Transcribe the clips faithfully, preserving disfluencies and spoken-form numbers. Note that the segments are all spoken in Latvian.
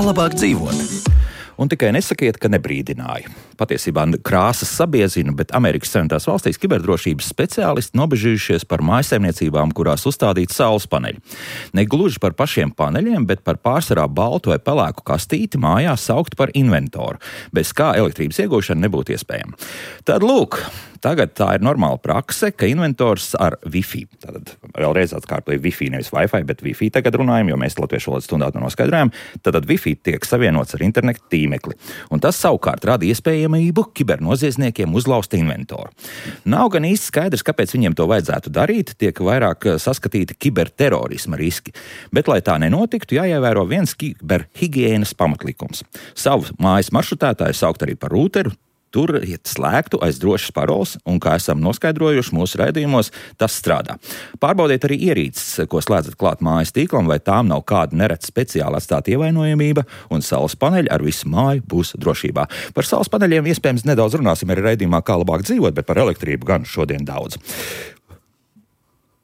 Labāk dzīvot. Un tikai nesakiet, ka nebrīdināju. Patiesībā krāsas sabiezina, bet Amerikas Savienotās valstīs kiberdrošības speciālisti nobežījušies par mājsaimniecībām, kurās uzstādīti saules paneļi. Ne gluži par pašiem paneļiem, bet par pārsvarā baltu vai pelēku kastīti mājās saukt par inventoru, bez kā elektrības iegūšana nebūtu iespējama. Tad lūk, tagad tā ir normāla prakse, ka inventors ar Wi-Fi, tātad vēlreiz atkārtoju Wi-Fi, nevis Wi-Fi, bet Wi-Fi tagad runājam, jo mēs latviešu valodas stundā to noskaidrojam, tad Wi-Fi tiek savienots ar internetu tīmekli. Un tas savukārt rada iespējamību kibernoziedzniekiem uzlauzt inventoru. Nav gan īsti skaidrs, kāpēc viņiem to vajadzētu darīt, tiek vairāk saskatīti kiberterorisma riski. Bet, lai tā nenotiktu, jāievēro viens kiberhigienas pamatlikums. Savu mājas maršrutētāju saukt arī par rūteru, tur iet slēgtu aiz drošas paroles, un, kā esam noskaidrojuši mūsu raidījumos, tas strādā. Pārbaudiet arī ierīces, ko slēdzat klāt mājas tīklam, vai tām nav kāda neredz speciāli atstāta ievainojamība, un saules paneļi ar visu māju būs drošībā. Par saules paneļiem iespējams nedaudz runāsim arī raidījumā, kā labāk dzīvot, bet par elektrību gan šodien daudz.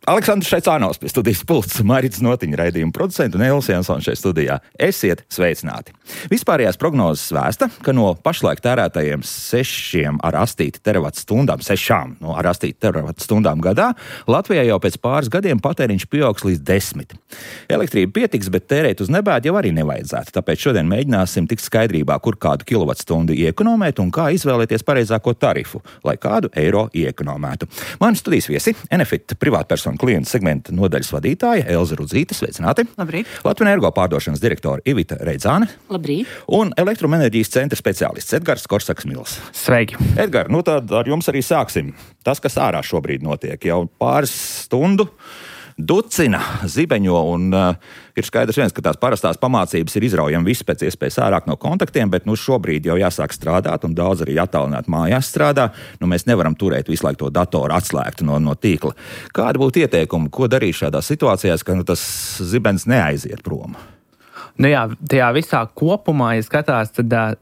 Aleksandrs Šaicānovs pie studijas pults, Marits Notiņa raidījuma producenta un Elsa Jansona šeit studijā. Esiet sveicināti! Vispārējās prognozes vēsta, ka no pašlaik tērētajiem sešiem ar astīti teravat stundām, sešām no ar astīti teravat stundām gadā, Latvijā jau pēc pāris gadiem patēriņš pieaugs līdz desmit. Elektrība pietiks, bet tērēt uz nebēdu jau arī nevajadzētu, tāpēc šodien mēģināsim tikt skaidrībā, kur kādu kilovatstundu iekonomēt un kā izvēlēties pareizāko tarifu, lai kādu eiro iekonomētu. Mani studijas viesi, Enefit privātpersonu klientu segmenta nodaļas vadītāja Elza Rudzīte, sveicināti. Labrīt. Latvenergo pārdošanas direktora Ivita Reidzāne. Labrīt. Un elektroenerģijas centra speciālists Edgars Korsaks-Mils. Sveiki. Edgar, nu tad ar jums arī sāksim. Tas, kas ārā šobrīd notiek, jau pāris stundu ducina, zibeņo, un uh, ir skaidrs viens, ka tās parastās pamācības ir izraujami viss pēc iespējas ārāk no kontaktiem, bet nu šobrīd jau jāsāk strādāt, un daudz arī attālināt mājās strādā. Nu mēs nevaram turēt visu laiku to datoru atslēgtu no, no tīkla. Kāda būtu ieteikuma, ko darīt šādās situācijās, ka nu, tas zibens neaiziet prom? Nu jā, tajā visā kopumā, ja skatās, tad uh,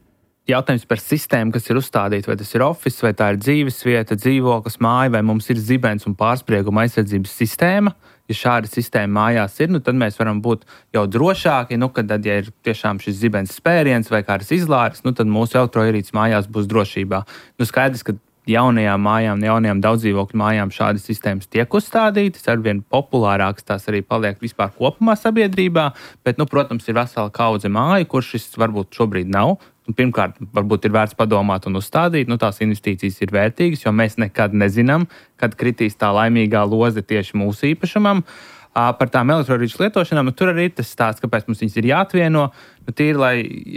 jautājums par sistēmu, kas ir uzstādīta, vai tas ir office, vai tā ir dzīvesvieta, dzīvoklis, māja, vai mums ir zibens un pārsprieguma aizsardzības sistēma. Ja šāda sistēma mājās ir, nu, tad mēs varam būt jau drošāki, nu, kad tad, ja ir tiešām šis zibens spēriens vai kāds izlāris, nu, tad mūsu elektroierīces mājās būs drošībā. Nu, skaidrs, ka jaunajām mājām, jaunajām daudzdzīvokļu mājām šādas sistēmas tiek uzstādītas, arvien populārākas tās arī paliek vispār kopumā sabiedrībā, bet, nu, protams, ir vesela kaudze māju, kur šis varbūt šobrīd nav. Pirmkārt, varbūt ir vērts padomāt un uzstādīt, nu tās investīcijas ir vērtīgas, jo mēs nekad nezinām, kad kritīs tā laimīgā loze tieši mūsu īpašumam. Par tām elektroierīču lietošanām, nu, tur arī ir tas stāsts, kāpēc mums viņas ir jāatvieno. Nu, tīri, lai,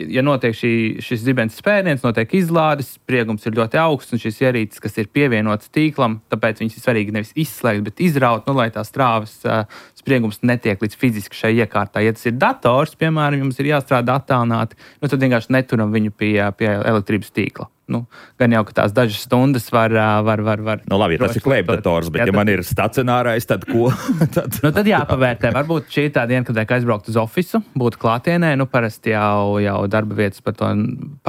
ja notiek šī, šis zibens spēriens, notiek izlādes, spriegums ir ļoti augsts, un šis ierīces, kas ir pievienots tīklam, tāpēc viņas ir svarīgi nevis izslēgt, bet izraut, nu, lai tā strāvas uh, spriegums netiek līdz fiziski šai iekārtā. Ja tas ir dators, piemēram, jums ir jāstrādā attālināti, nu, tad vienkārši neturam viņu pie, pie elektrības tīkla. Nu, gan jau, ka tās dažas stundas var... var, var, var nu, labi, ja tas ir klēpdators, bet jā, ja tad... man ir stacionārais, tad ko? tad... nu, tad jāpavērtē. Varbūt šī tā diena, kad vajag aizbraukt uz ofisu, būtu klātienē. Nu, parasti jau, jau darba vietas par to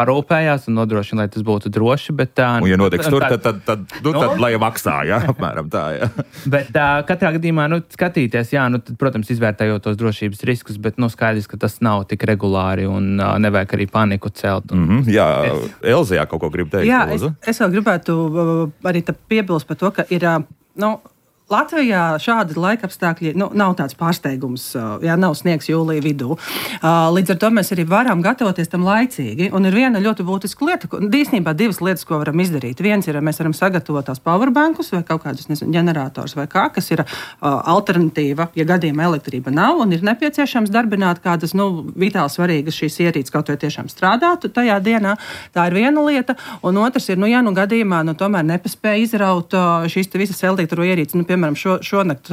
parūpējās un nodrošina, lai tas būtu droši. Bet, un, ja notiks tur, tad, tad, tad, nu, nu, tad lai maksā, jā, apmēram tā, jā. Bet uh, katrā gadījumā, nu, skatīties, jā, nu, tad, protams, izvērtējot tos drošības riskus, bet, nu, skaidrs, ka tas nav tik regulāri un uh, nevajag arī paniku celt. Un, mm-hmm, jā, es... Elza, jā, kaut ko gribu teikt. Jā, es, es vēl gribētu arī piebilst par to, ka ir, nu, Latvijā šādi laikapstākļi nu, nav tāds pārsteigums, jā, nav sniegs jūlija vidū. Līdz ar to mēs arī varam gatavoties tam laicīgi. Un ir viena ļoti būtiska lieta, īstenībā divas lietas, ko varam izdarīt. Viens ir, mēs varam sagatavot tās powerbankus vai kaut kādus, nezinu, ģenerators vai kā, kas ir uh, alternatīva, ja gadījumā elektrība nav un ir nepieciešams darbināt kādas, nu, vitāli svarīgas šīs ierīces, kaut vai tiešām strādātu tajā dienā. Tā ir viena lieta. Un otrs ir, nu, ja nu gadījumā, nu, tomēr nepaspēja izraut uh, šīs visas elektroierīces, nu, piemēram, šo, šonakt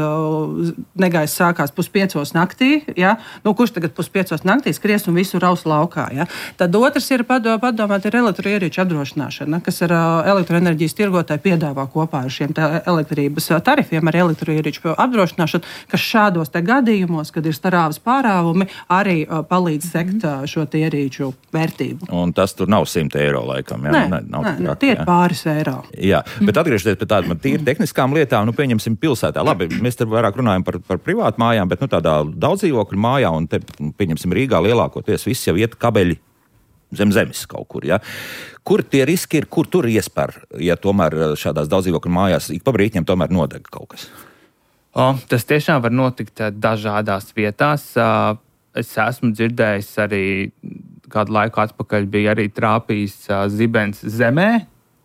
negaiss sākās puspiecos naktī, ja? Nu, kurš tagad puspiecos naktī skries un visu raus laukā, ja? Tad otrs ir padomāt ir elektroierīču apdrošināšana, kas ar elektroenerģijas tirgotāji piedāvā kopā ar šiem elektrības tarifiem, ar elektroierīču apdrošināšanu, kas šādos te gadījumos, kad ir starāvas pārāvumi, arī palīdz sekt šo te ierīču vērtību. Un tas tur nav simt eiro laikam, jā? Nē, ne, nav nē, traki, tie ir jā. pāris eiro. Jā, bet atgriežoties pie tādām tīri tehniskām lietām, nu, pieņemsim pilsētā. Labi, mēs te vairāk runājam par, par privātu mājām, bet nu, tādā daudzdzīvokļu mājā, un te, pieņemsim, Rīgā lielākoties viss jau iet kabeļi zem zemes kaut kur. Ja? Kur tie riski ir, kur tur iespēr, ja tomēr šādās daudzdzīvokļu mājās ik pa brītņiem tomēr nodeg kaut kas? O, tas tiešām var notikt dažādās vietās. Es esmu dzirdējis arī kādu laiku atpakaļ bija arī trāpījis zibens zemē,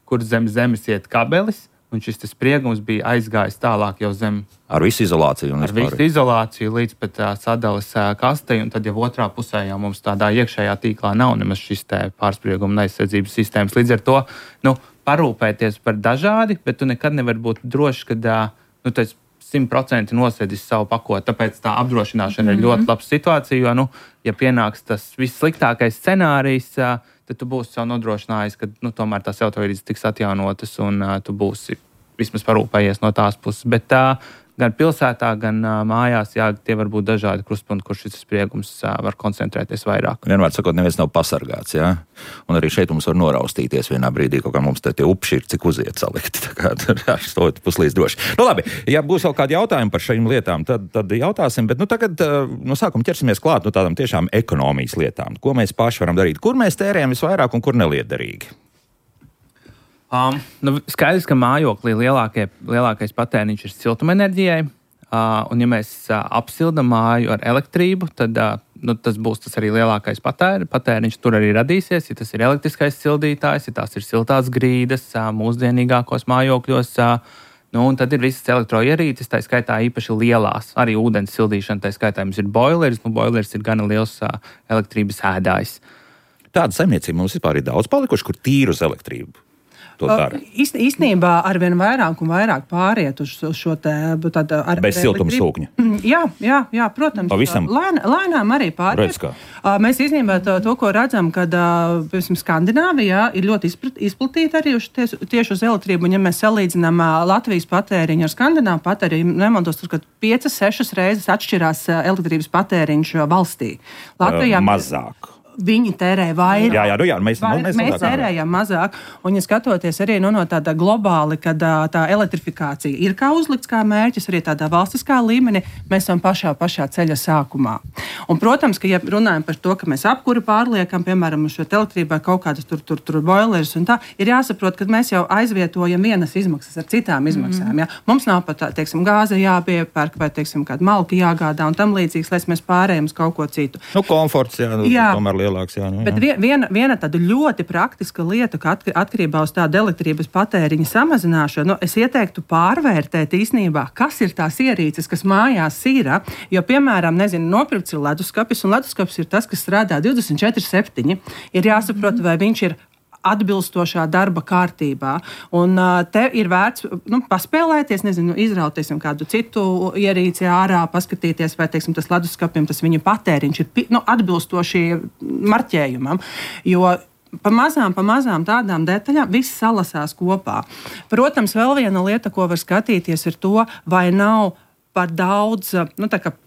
kur zem zemes iet kabelis, un šis spriegums bija aizgājis tālāk jau zem. Ar visu izolāciju. Un ar visu izolāciju līdz pat uh, sadalas uh, kastei, un tad jau otrā pusē jau mums tādā iekšējā tīklā nav nemaz šis te pārsprieguma aizsardzības sistēmas. Līdz ar to, nu, parūpēties par dažādi, bet tu nekad nevar būt drošs, ka, uh, nu, tas simt procenti nosēdis savu pakoti. Tāpēc tā apdrošināšana mm-hmm. ir ļoti laba situācija, jo, nu, ja pienāks tas vissliktākais scenārijs, uh, tad tu būsi jau nodrošinājis, ka nu, tomēr tās elektroierīces tiks atjaunotas un uh, tu būsi vismaz parūpējies no tās puses. Bet uh, gan pilsētā, gan uh, mājās, jā, tie var būt dažādi krustpunkti, kur šis spriegums uh, var koncentrēties vairāk. Vienmēr sakot, neviens nav pasargāts, jā? Un arī šeit mums var noraustīties vienā brīdī, kaut kā mums te tie upši ir, cik uziet salikti. Tā kā tur stot puslīdz droši. Nu labi, ja būs vēl kādi jautājumi par šīm lietām, tad, tad jautāsim, bet nu tagad no sākuma ķersimies klāt no tādām tiešām ekonomijas lietām. Ko mēs paši varam darīt? Kur mēs tērējam visvairāk un kur nelietderīgi? Um, nu, skaidrs, ka mājoklī lielākie, lielākais patēriņš ir siltumenerģijai, uh, un ja mēs uh, apsildam māju ar elektrību, tad uh, nu, tas būs tas arī lielākais patēri, patēriņš tur arī radīsies, ja tas ir elektriskais sildītājs, ja tās ir siltās grīdas uh, mūsdienīgākos mājokļos, uh, nu, un tad ir visas elektroierīces, tā skaitā īpaši lielās, arī ūdens sildīšana, tā skaitā mums ir boileris, nu boileris ir gana liels uh, elektrības ēdājs. Tāda saimniecība mums vispār ir daudz palikuši, kur tīru uz elektrību. Īst, īstenībā arvien vairāk un vairāk pāriet uz, uz šo te tādu ar bez siltumsūkņa. Jā, jā, jā, protams. Pavisam. Lēn, lēnām arī pāriet. Mēs īstenībā to, to, ko redzam, kad, piemēram, Skandināvijā ir ļoti izplatīta arī uz, tieši uz elektrību. Un, ja mēs salīdzinām Latvijas patēriņu ar Skandināvu patēriņu, nemaldos, tur, kad piecas, sešas reizes atšķirās elektrības patēriņš valstī. Latvijā uh, mazāk. Viņi tērē vairāk. Jā, jā, nu jā, mēs, Vair, mēs, mēs tērējam mazāk. Un, ja skatoties arī nu, no tāda globāli, kad tā elektrifikācija ir kā uzlikts kā mērķis, arī tādā valstiskā līmenī, mēs esam pašā, pašā ceļa sākumā. Un, protams, ka, ja runājam par to, ka mēs apkuri pārliekam, piemēram, uz šo elektrībai kaut kādas tur, tur, tur boileris un tā, ir jāsaprot, ka mēs jau aizvietojam vienas izmaksas ar citām izmaksām. Mm. Ja? Mums nav pat, teiksim, gāze jāpiepērk vai, teiksim, kāda malka jāgādā un tam līdzīgs, lai mēs pārējām uz kaut ko citu. Nu, komforts, jā, nu, jā. Tomēr lielāks, jā. Nu, jā. Bet viena, viena tāda ļoti praktiska lieta, ka atkarībā uz tādu elektrības patēriņa samazināšanu, nu, es ieteiktu pārvērtēt īstenībā, kas ir tās ierīces, kas mājās ir. Jo, piemēram, nezinu, nopirkts ir leduskapis, un leduskapis ir tas, kas strādā divdesmit četri septiņi. Ir jāsaprot, vai viņš ir atbilstošā darba kārtībā. Un uh, te ir vērts nu, paspēlēties, nezinu, izrauties kādu citu ierīci ārā, paskatīties, vai, teiksim, tas leduskapim, tas viņa patēriņš ir nu, atbilstoši marķējumam. Jo pa mazām, pa mazām tādām detaļām viss salasās kopā. Protams, vēl viena lieta, ko var skatīties, ir to, vai nav par daudz, nu, tā kā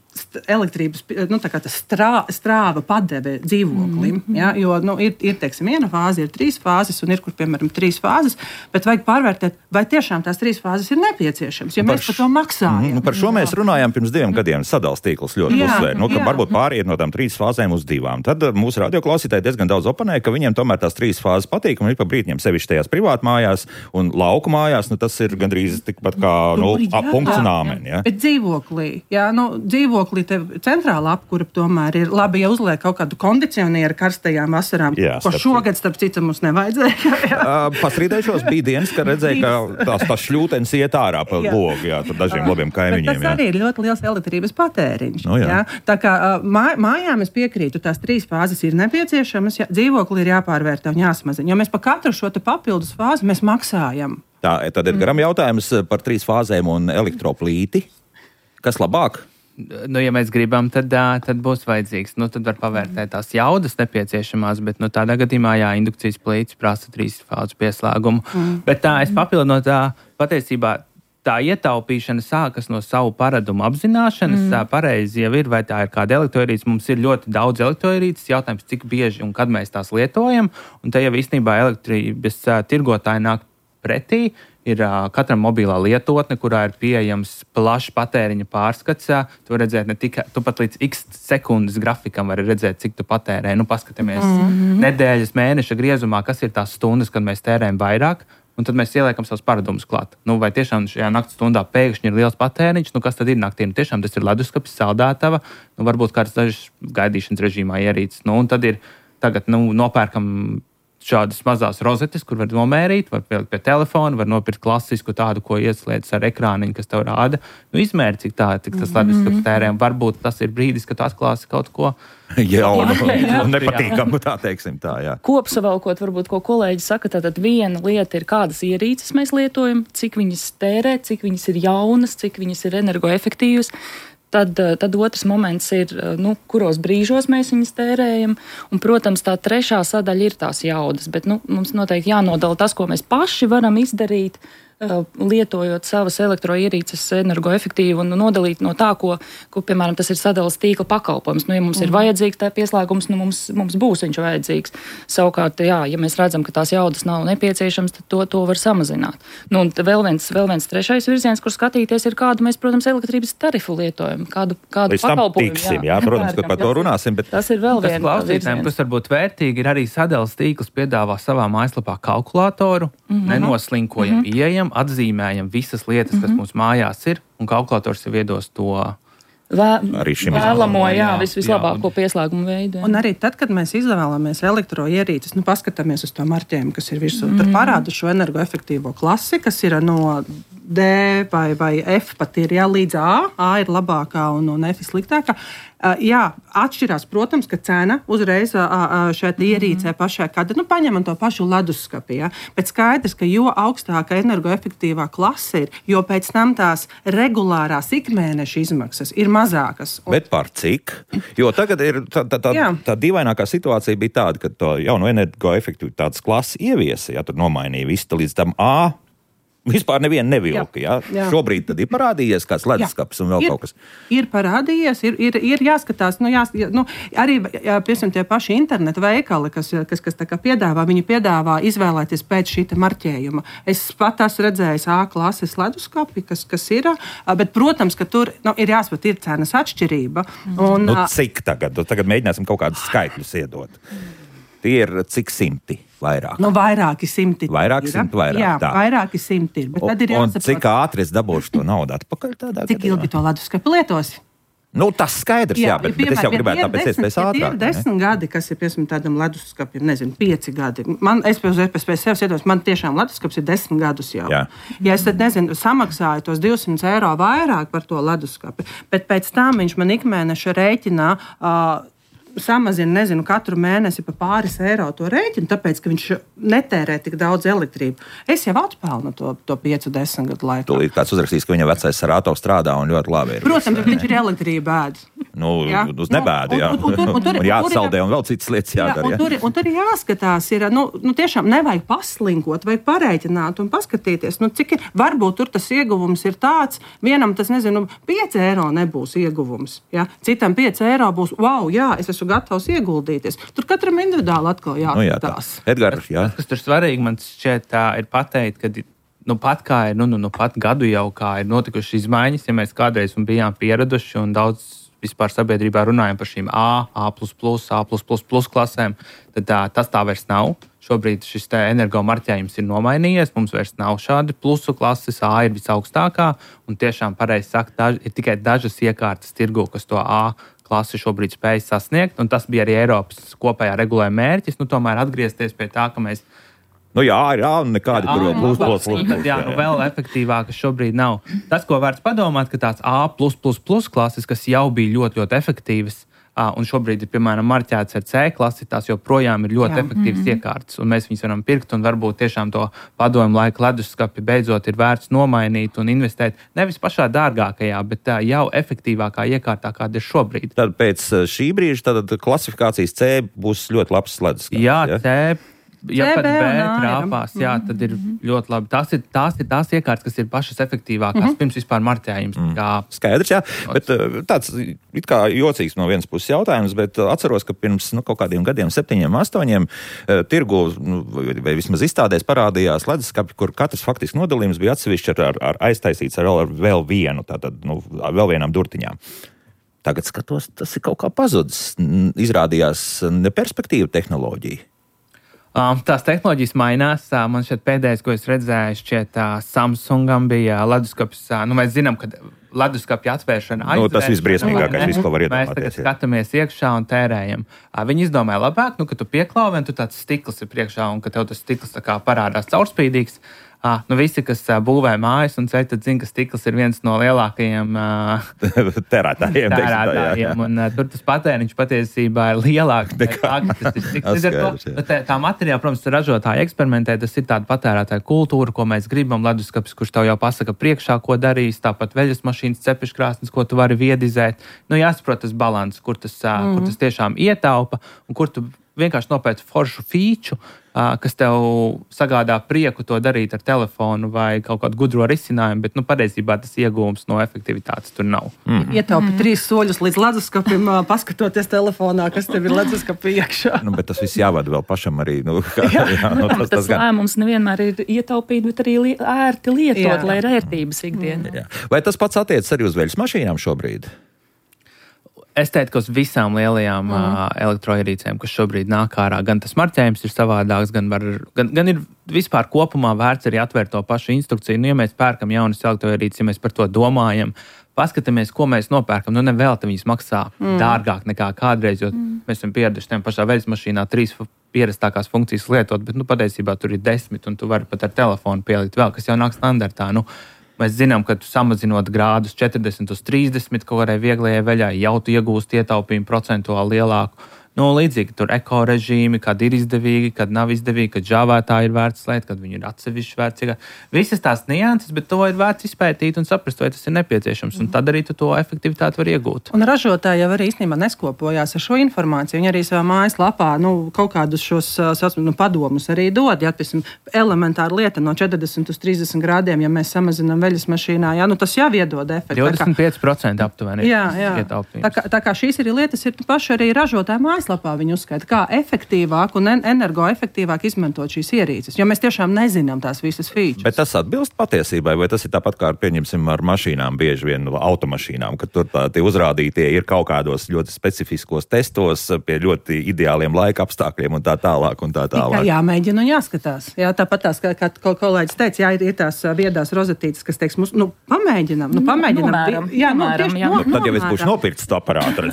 elektrības nu, strā, strāva padeve dzīvoklim. Mm-hmm. Ja? Jo nu, ir, ir teiksim, viena fāze, ir trīs fāzes, un ir, kur, piemēram, trīs fāzes, bet vajag pārvērtēt, vai tiešām tās trīs fāzes ir nepieciešamas, jo mēs par to maksājam. Mm-hmm. Nu, par šo mēs runājām pirms diviem gadiem. Sadals tīkls ļoti uzsver. Nu, ka varbūt pāriet no tām trīs fāzēm uz divām. Tad mūsu radioklausītāji diezgan daudz oponē, ka viņiem tomēr tās trīs fāzes patīk, un ir pa brītņiem sevišķi tajās privātmājās un lauku mājās, nu, tas ir gandrīz tikpat kā nu, punkts un āmen. Ja? Bet dzīvoklī, jā, nu, dzīvoklī tev centrāla apkura tomēr ir labi, ja uzliek kaut kādu kondicionieru karstajām vasarām, jā, ko šogad, starp citu, mums nevajadzēja. uh, Pastrīdēšos bija dienas, kad redzēju, ka tās, tās šļūtenes iet ārā pa logu, jā, tur dažiem labiem kaimiņiem. Bet tas jā. Arī ir ļoti liels elektrības patēriņš. No, jā. Jā. Tā kā mā, mājām es piekrītu, tās trīs fāzes ir nepieciešamas, jā, dzīvokli ir jāpārvērtē un jāsmazina, jo mēs pa katru šo te papildus fāzi mēs maksājam. Tā, tad ir garam jautājums par trīs fāzēm un elektroplīti. Kas labāk? Nu, ja mēs gribam, tad, tad būs vajadzīgs. Nu, tad var pavērtēt tās jaudas nepieciešamās, bet nu, tādā gadījumā, jā, indukcijas plīts prasa trīs fāzu pieslēgumu. Mm. Bet tā, es papildinot tā, patiesībā tā ietaupīšana sākas no savu paradumu apzināšanas. Mm. Tā pareizi jau ir, vai tā ir kāda elektroierīce. Mums ir ļoti daudz elektroierīces. Jautājums, cik bieži un kad mēs tās lietojam. Un te jau īstenībā elektrības tirgotāji nāk pretī. Ir uh, katram mobilā lietotne, kurā ir pieejams plašs patēriņa pārskats. Tu vari redzēt ne tikai, tu pat līdz x sekundes grafikam vari redzēt, cik tu patērē. Nu, paskatāmies mm-hmm. nedēļas, mēneša griezumā, kas ir tās stundas, kad mēs tērējam vairāk, un tad mēs ieliekam savus paradumus klāt. Nu, vai tiešām šajā naktas stundā pēkšņi ir liels patēriņš, nu kas tad ir naktī? Nu, tiešām tas ir leduskapis, saldētava, nu, varbūt kāds dažs gaidīšanas režīmā ierīces. Nu, un tad ir tagad, nu, nopērkam šādas mazās rozetes, kur var nomērīt, var pielikt pie telefona, var nopirkt klasisku tādu, ko ieslēdz ar ekrāniņu, kas tev rāda. Nu, izmēri, cik, tā, cik tas leduskapis tērē. Varbūt tas ir brīdis, kad tu atklāsi kaut ko jaunu un nepatīkamu, tā teiksim tā, jā. Kopsavalkot, varbūt, ko kolēģi saka, tātad viena lieta ir, kādas ierīces mēs lietojam, cik viņas tērē, cik viņas ir jaunas, cik viņas ir energoefektīvas. Tad, tad otrs moments ir, nu, kuros brīžos mēs viņus tērējam. Un, protams, tā trešā sadaļa ir tās jaudas, bet nu, mums noteikti jānodala tas, ko mēs paši varam izdarīt, lietojot savas elektroierīces energoefektīvi un nodalīt no tā, ko, ko piemēram, tas ir sadales tīkla pakalpojums. Nu, ja mums mm. ir vajadzīgs tā pieslēgums, nu, mums, mums būs viņš vajadzīgs. Savukārt, jā, ja mēs redzam, ka tās jaudas nav nepieciešams, tad to, to var samazināt. Nu, un vēl viens, vēl viens trešais virziens, kur skatīties, ir kādu mēs, protams, elektrības tarifu lietojam, kādu, kādu pakalpojumu. Tiksim, jā, jā, protams, ka par to runāsim. Bet... Tas ir vēl viens klausītājiem, kas varbūt vērtīgi, ir arī sadales tīkls piedāvā savā mājaslapā kalkulātoru, mm-hmm. nenoslinkojam, mm-hmm. ieejam, atzīmējam visas lietas, kas mm-hmm. mums mājās ir, un kalkulators jau iedos to Vē, vēlamo, jā, vis, vislabāko jā. Pieslēgumu veidu. Jā. Un arī tad, kad mēs izvēlamies elektroierīces, nu, paskatāmies uz to marķējumu, kas ir virsū, mm-hmm. tur parāda šo energoefektīvo klasi, kas ir no D vai, vai F pat ir, jā, līdz A. A ir labākā un, un F ir sliktākā. Uh, jā, atšķirās, protams, ka cena uzreiz uh, uh, šeit ierīcē mm-hmm. pašā, kad nu, paņemam to pašu leduskapi, ja? Bet skaidrs, ka jo augstāka energoefektīvā klase ir, jo pēc tam tās regulārās ikmēneša izmaksas ir mazākas. Un... Bet par cik? Jo tagad ir tā, tā, tā, tā dīvainākā situācija bija tāda, ka to jauno energoefektivitātes klasi ieviesa, ja tur nomainīja visu līdz tam A. Vispār nevienu nevilka, jā. Jā. Jā. Šobrīd tad ir parādījies kāds leduskapis un vēl ir, kaut kas. Ir parādījies, ir, ir, ir jāskatās, nu, jās, nu, arī, jā, piemēram, tie paši interneta veikali, kas, kas, kas tā kā piedāvā, viņi piedāvā izvēlēties pēc šīta marķējuma. Es pat esmu redzējis A klases leduskapi, kas, kas ir, bet, protams, ka tur nu, ir jāspat, ir cenas atšķirība. Un, nu, cik tagad? Tagad mēģināsim kaut kādus skaitļus iedot. Tie ir cik simti vairāk? Nu, vairāki simti. Vairāki simti vairāk. Jā, tā. vairāki simti ir. Bet tad ir jāsaprot, un cik ātri es dabūšu to naudu atpakaļ tādā cik gadījumā? Ilgi to leduskapi lietosi? Nu, tas skaidrs, jā, jā bet, bet es jau gribētu tāpēc iespējas ātrāk. Ja ir desmit gadi, kas ir, piemēram, tādam leduskapim, nezinu, pieci gadi. Man, es pēc, pēc, pēc sevis iedos, man tiešām leduskaps ir desmit gadus jau. Jā. Ja es tad, nezinu, samaksāju tos divsimt eiro vairāk par to leduskapi, bet pēc tam viņš man ikmēneša rēķinā uh, samazina, nezinu, katru mēnesi pa pāris eiro to rēķinu, tāpēc, ka viņš netērē tik daudz elektrību. Es jau atpelnu to, to piecu, desmit gadu laikā. Tūlīt kāds uzrakstīs, ka viņa vecais Sarātovs strādā un ļoti labi ir. Protams, bet viņš ir elektrību ēd. Nu, jā? Uz nebēdu, jā. Un, un, un, un, tur, un jāatsaldē un vēl citas lietas jādara. Jā, un, tur, un tur ir jāskatās, ir, nu, nu tiešām nevajag paslinkot, vajag parēķināt un paskatīties, nu, cik ir, varbūt tur tas ieguvums ir tāds, vienam tas, nezinu, pieci eiro nebūs ieguvums, jā. Citam pieci eiro būs, wow, jā, es esmu gatavs ieguldīties. Tur katram individuāli atkal jāskatās. Nu, jā, Edgar, jā. Tas, kas tur svarīgi, man šķiet tā ir pateikt, ka nu pat kā ir, nu, nu, nu pat gadu jau kā ir notikušas izmaiņas, ja mēs kādreiz bijām pieraduši un daudz vispār sabiedrībā runājam par šīm A, A plus plus, A plus plus plus klasēm, tad tā, tas tā vairs nav. Šobrīd šis energo marķējums ir nomainījies, mums vairs nav šādi plusu klases, A ir visaugstākā, un tiešām pareizi sakt, daž, ir tikai dažas iekārtas tirgu, kas to A klasi šobrīd spēj sasniegt, un tas bija arī Eiropas kopējā regulējuma mērķis, nu tomēr atgriezties pie tā, ka mēs Nu jā, ir jā, nekādi tur vēl plus, plus, plus. Tad, jā, nu vēl efektīvākas šobrīd nav. Tas, ko vērts padomāt, ka tāds A plus plus plus klases, kas jau bija ļoti, ļoti efektīvas, un šobrīd ir, piemēram, marķēts ar C klasi, tās joprojām ir ļoti Jā. efektīvas Mm-hmm. iekārtas, un mēs viņus varam pirkt, un varbūt tiešām to padomu laika leduskapi beidzot ir vērts nomainīt un investēt nevis pašā dārgākajā, bet tā jau efektīvākā iekārtā, kāda ir šobrīd. Tad pēc šī brīža tad klasifikācijas C būs ļoti labs leduskapis. Jā, ja? C. Ja C, pat B B un A trāpās, jā, tad ir ļoti labi. Tās ir tās, ir tās iekārtas, kas ir pašas efektīvākās mm -hmm. pirms vispār marķējums. Mm. Kā... Skaidrs, jā. Bet tāds it kā jocīgs no vienas puses jautājums, bet atceros, ka pirms nu, kaut kādiem gadiem, septiņiem, astoņiem, tirgu nu, vai vismaz izstādēs parādījās leduskapi, kur katrs faktiski nodalījums bija atsevišķi ar, ar aiztaisīts ar, ar vēl vienu, tātad nu, vēl vienām durtiņām. Tagad skatos, tas ir kaut kā pazudis. Izrādījās neperspektīva tehnoloģija. Um, tās tehnoloģijas mainās. Uh, man šeit pēdējais, ko es redzēju, šķiet, uh, Samsungam bija leduskapis. Uh, nu, mēs zinām, ka leduskapja atvēršana aizvēršana. Nu, tas visbriesmīgākais, viss, ko var Mēs iedomāties. tagad skatāmies iekšā un tērējam. Uh, viņi izdomāja labāk, nu, ka tu pieklāvi un tu tāds stikls ir priekšā un ka tev tas stikls tā kā parādās caurspīdīgs. Ah, nu visi, kas uh, būvē mājas un ceļ, tad zina, ka stikls ir viens no lielākajiem uh, tērētājiem. tērētājiem un uh, tur tas patēriņš patiesībā ir lielāks nekā tas ir stikls. Skaidrs, to, tā, tā materiāla, protams, ražotāji eksperimentē, tas ir tāda patērētāja kultūra, ko mēs gribam, leduskapis, kurš tev jau pasaka priekšā, ko darīs, tāpat veļas mašīnas, cepeškrāsnes, ko tu vari viedizēt. Nu, jāsaprot tas balans, kur tas, uh, mm. kur tas tiešām ietaupa un kur tu vienkārši nopēc foršu fīču, kas tev sagādā prieku to darīt ar telefonu vai kaut kādu gudro risinājumu, bet nu, patiesībā tas iegūms no efektivitātes tur nav. Mm. Ietaupa mm. trīs soļus līdz leduskapim, paskatoties telefonā, kas tev ir leduskapī iekšā. Nu, bet tas viss jāvada vēl pašam arī. Nu, kā, jā. Jā, nu, tas, tas tas lēmums nevienmēr ir ietaupīt, bet arī li ērti lietot, jā. Lai ir ērtības ikdienā. Jā. Vai tas pats attiecas arī uz veļas mašīnām šobrīd? Es teiktu, ka uz visām lielajām mm. uh, elektroierīcēm, kas šobrīd nāk ārā, gan tas marķējums ir savādāks, gan, var, gan, gan ir vispār kopumā vērts arī atvērt to pašu instrukciju. Nu, ja mēs pērkam jaunas elektroierīces, ja mēs par to domājam, paskatāmies, ko mēs nopērkam. Nu, nevelti viņas maksā mm. dārgāk nekā kādreiz, jo mm. mēs esam pieraduši tiem pašā veļas mašīnā trīs pierastākās funkcijas lietot, bet nu, patiesībā tur ir desmit, un tu vari pat ar telefonu pielikt vēl, kas jau nāk standartā. Nu, Mēs zinām, ka samazinot grādus četrdesmit uz trīsdesmit kaut kādai vieglajai veļai, jau tu iegūst ietaupījumu procentuāli lielāku. Nu, līdzīgi tur eko režīmi, kad ir izdevīgi, kad nav izdevīgi, kad žāvētāji ir vērts slēgt, kad viņi ir atsevišķi vērts. Visas tās nianses, bet to ir vērts izpētīt un saprast, vai tas ir nepieciešams. Un tad arī tu to efektivitāti var iegūt. Un ražotāji jau arī īstenībā neskopojās ar šo informāciju. Viņi arī savā mājaslapā nu, kaut kādus šos nu, padomus arī dod. Ja, piemēram, elementāra lieta no četrdesmit uz trīsdesmit grādiem, ja mēs samazinām veļas mašīnā, jā, nu, tas jau iedod efektu. divdesmit pieci procenti aptuveni. Jā, jā. Tā kā, tā kā šīs arī lietas ir paši arī ražotāji mājaslapā. Mājaslapā viņi uzskaita, kā efektīvāk un energoefektīvāk izmantot šīs ierīces, jo mēs tiešām nezinām tās visas features. Bet tas atbilst patiesībai, vai tas ir tāpat kā, pieņemsim, ar mašīnām, bieži vien automašīnām, ka tur tā, tie uzrādītie ir kaut kādos ļoti specifiskos testos, pie ļoti ideāliem laika apstākļiem un tā tālāk un tā tālāk. Tikai jāmēģina un jāskatās. Jā, tāpat tās, kā, kā kolēģis teica, jā, ir, ir tās viedās rozetītes, kas teiks mums, nu, pamēģinam, nu, pamēģinam. Nomēram, jā, nu, nomēram, tieši, jā. no, Nu, tad jau es būšu nopircis to aparātu.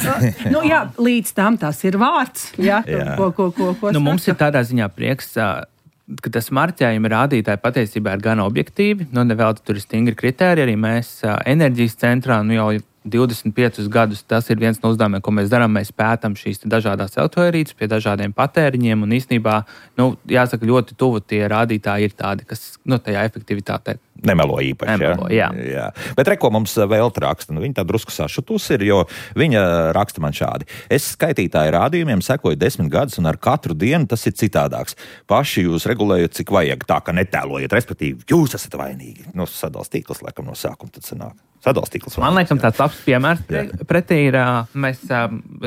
nu, jā, līdz tam tas ir vārds. Jā, Jā. Ko, ko, ko, ko nu, mums ir tādā ziņā prieks, ka tas marķējuma rādītāji patiesībā ir gan objektīvi. Nu, nevēl tur ir stingri kritēriji. Arī mēs enerģijas centrā nu, jau divdesmit piecus gadus tas ir viens no uzdevumiem, ko mēs darām. Mēs pētām šīs dažādās elektroierīces pie dažādiem patēriņiem. Un īstenībā, nu, jāsaka, ļoti tuvu tie rādītāji ir tādi, kas nu, tajā efektivitātē Nemelo īpaši. Nemelo, jā. Jā. Bet reko mums vēl raksta, nu, viņa tā drusku sašutus ir, jo viņa raksta man šādi. Es skaitītāju rādījumiem sekoju desmit gadus, un ar katru dienu tas ir citādāks. Paši jūs regulējat, cik vajag, tā ka netēlojiet, respektīvi, jūs esat vainīgi. Nu, sadals tīkls, laikam, no sākuma tad sanāk. Sadals tīkls. Man liekas, tāds labs piemērs pretī ir, mēs,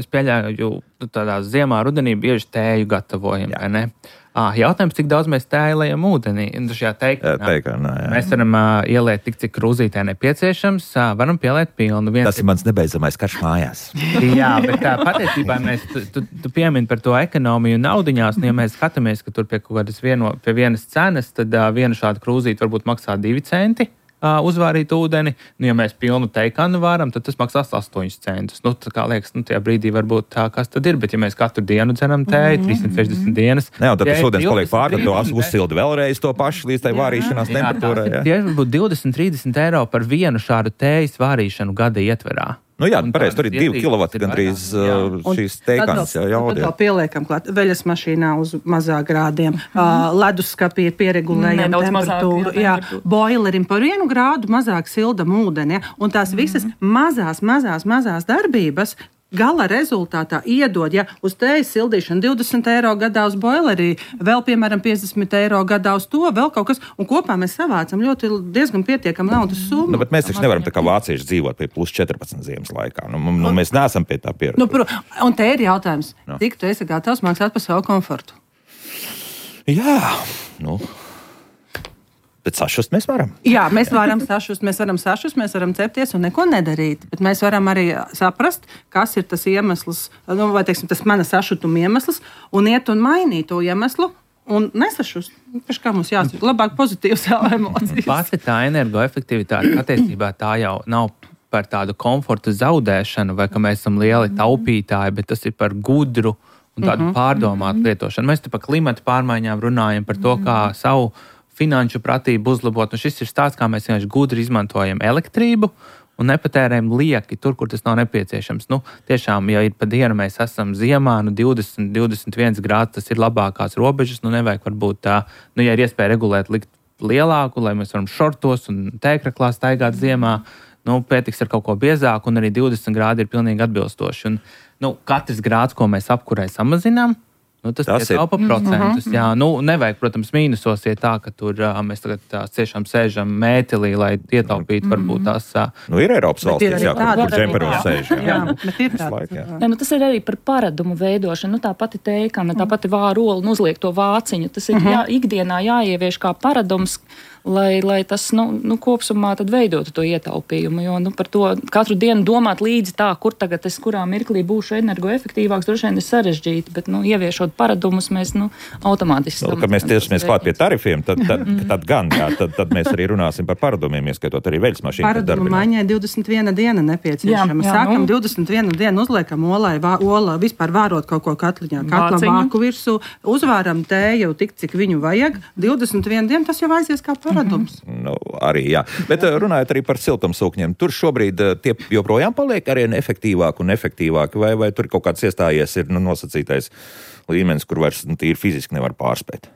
es pieļauju, tādā ziemā, rudenī bieži tēju gatavojam, vai ne? Ah, jautājums, cik daudz mēs tēlējam ūdenī? Šajā teikanā. Teikanā, jā. Mēs varam uh, ieliet tik, cik krūzītē nepieciešams, uh, varam pieliet pilnu. Viens Tas ir mans nebeidzamais karš mājās. Jā, bet uh, patiesībā mēs, tu, tu, tu piemini par to ekonomiju un naudiņās, un ja mēs skatāmies, ka tur pie kaut kādas vieno, pie vienas cenas, tad uh, viena šāda krūzīte varbūt maksā divi centi. Uzvārīt ūdeni, nu, ja mēs pilnu teikanu varam, tad tas maksās astoņus centus. Nu, tā kā liekas, nu, tajā brīdī varbūt tā, kas tad ir, bet ja mēs katru dienu dzeram tēju, trīssimt sešdesmit dienas. Ne, un tad tas ūdens paliek pār, tad to uzsildi vēlreiz to pašu līdz tai vārīšanās temperatūrai. Tie varbūt divdesmit trīsdesmit eiro par vienu šādu tējas vārīšanu gada ietverā. Nu jā, pareizi, tur ir divi kilovati gandrīz uh, šīs teikans. Jā, tad vēl pieliekam klāt veļas mašīnā uz mazā grādiem, mm-hmm. uh, leduskapī ir pieregulējama temperatūra, jā, boilerim par vienu grādu mazāk sildam ūdeni, ja? Un tās visas mm-hmm. mazās, mazās, mazās darbības gala rezultātā iedod, ja uz tējas sildīšanu divdesmit eiro gadā uz boilerī, vēl, piemēram, piecdesmit eiro gadā uz to, vēl kaut kas, un kopā mēs savācam ļoti diezgan pietiekam naudas summu. Nu, bet mēs taču nevaram tā kā vācieši dzīvot pie plus četrpadsmit ziemas laikā. Nu, nu, mēs neesam pie tā pieraduši. Nu, pro, un te ir jautājums, no. Cik tu esi gatavs maksāt par savu komfortu? Jā, nu... Bet sašust mēs varam. Jā, mēs varam sašust, mēs varam sašust, mēs varam cepties un neko nedarīt. Bet mēs varam arī saprast, kas ir tas iemesls, nu, vai teiksim, tas mana sašutuma iemesls, un iet un mainīt to iemeslu un nesašust. Pēc kā mums jāsaka, labāk pozitīvas emocijas. Pati tā energoefektivitāte, attiecībā tā jau nav par tādu komforta zaudēšanu, vai ka mēs esam lieli taupītāji, bet tas ir par gudru un tādu mm-hmm. pārdomātu lietošanu. Mēs te par klimata pārmaiņām runājam, par to, kā savu finanšu pratību uzlabot. Un šis ir stāsts, kā mēs vienkārši gudri izmantojam elektrību un nepatērējam lieki tur, kur tas nav nepieciešams. Nu, tiešām, ja ir pa dienu mēs esam ziemā, nu divdesmit, divdesmit viens grāds, tas ir labākās robežas, nu nevajag varbūt tā, nu ja ir iespēja regulēt likt lielāku, lai mēs varam šortos un tēkraklā staigāt ziemā, nu pietiks ar kaut ko biezāku, un arī divdesmit grādi ir pilnīgi atbilstoši. Un, nu, katrs grāds, ko mēs apkurē samazinām, nu, tas tas ir taupa procentus. Mm-hmm. Jā, nu, nevajag, protams, mīnusos iet tā, ka tur uh, mēs tagad tā, ciešām sēžam mētelī, lai ietaupītu mm-hmm. varbūt tās. Uh, nu, ir Eiropas valstīs, jā, kur, kur džemperos sēž. Jā, jā. jā bet ir tāds. Laik, jā. Jā, nu, tas ir arī par paradumu veidošanu. Nu, tā pati teikana, tā pati vārola un uzliek to vāciņu. Tas ir mm-hmm. jā, ikdienā jāievieš kā paradums, lai, lai tas nu, nu, kopsumā tad veidotu to ietaupījumu. Jo nu, par to katru dienu domāt līdzi tā, kur tagad es kurā mirklī būšu energoefektīvāks, droši vien ir sarežģīti, bet nu, ieviešot paradumus mēs nu, automātiski. Nu, kad mēs tiesamies klāt pie tarifiem, tad, tad, tad gan, jā, tad, tad mēs arī runāsim par paradumiem, ieskatot arī veļas mašīnu. Paradumu maiņai divdesmit viena diena nepieciešama. Jā, jā, Sākam nu. divdesmit vienu dienu, uzliekam olai, vā, olā, vispār vārot kaut ko katliņā, katla vāku virsū, uzvāram tēju tik, cik viņu vajag. divdesmit viena diena, tas jau aizies kā paradums. Mm-hmm. Nu, arī, jā. Bet jā. runājot arī par siltumsūkņiem, tur šobrīd tie joprojām paliek arī efektīvāki un efektīvāki, vai, vai tur kaut kāds iestājies ir nu, nosacītais līmenis, kur vairs nu, tīri fiziski nevar pārspēt?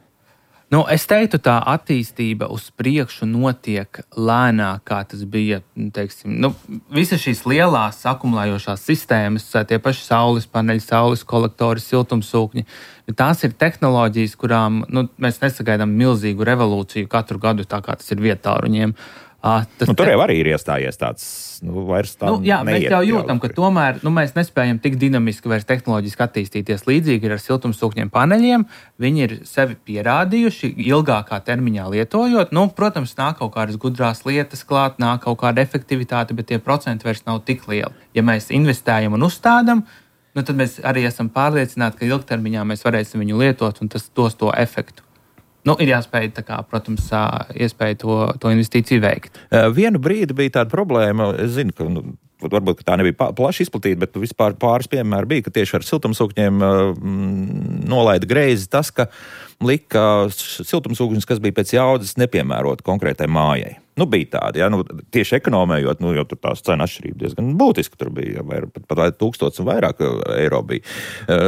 Nu, es teiktu, tā attīstība uz priekšu notiek lēnāk, kā tas bija, teiksim, nu, visas šīs lielās akumulējošās sistēmas, tie paši saules paneļi, saules kolektori, siltumsūkņi, tās ir tehnoloģijas, kurām nu, mēs nesagaidām milzīgu revolūciju katru gadu, tā kā tas ir vietāruņiem. Tas nu, tur jau arī ir iestājies tāds, nu, vairs tā nu, jā, neiet. Mēs jau jūtam, ka tomēr nu, mēs nespējam tik dinamiski vairs tehnoloģiski attīstīties. Līdzīgi ir ar siltumsūkņiem paneļiem. Viņi ir sevi pierādījuši ilgākā termiņā lietojot. Nu, protams, nāk kaut kādas gudrās lietas klāt, nāk kaut kāda efektivitāte, bet tie procenti vairs nav tik lieli. Ja mēs investējam un uzstādam, nu, tad mēs arī esam pārliecināti, ka ilgtermiņā mēs varēsim viņu lietot un tas dos to efektu. Nu, ir jāspēj, tā kā, protams, iespēja to, to investīciju veikt. Vienu brīdi bija tāda problēma, es zinu, ka nu, varbūt ka tā nebija plaši izplatīta, bet vispār pāris piemēri bija, ka tieši ar siltumsūkņiem mm, nolaida greizi tas, ka lika siltumsūkņus, kas bija pēc jaudas nepiemērot konkrētai mājai. Nu, bija tādi, ja, nu, tieši ekonomējot, nu, jo tur tās cena atšķirība diezgan būtiski, tur bija vair, pat, pat tūkstots un vairāk eiro bija.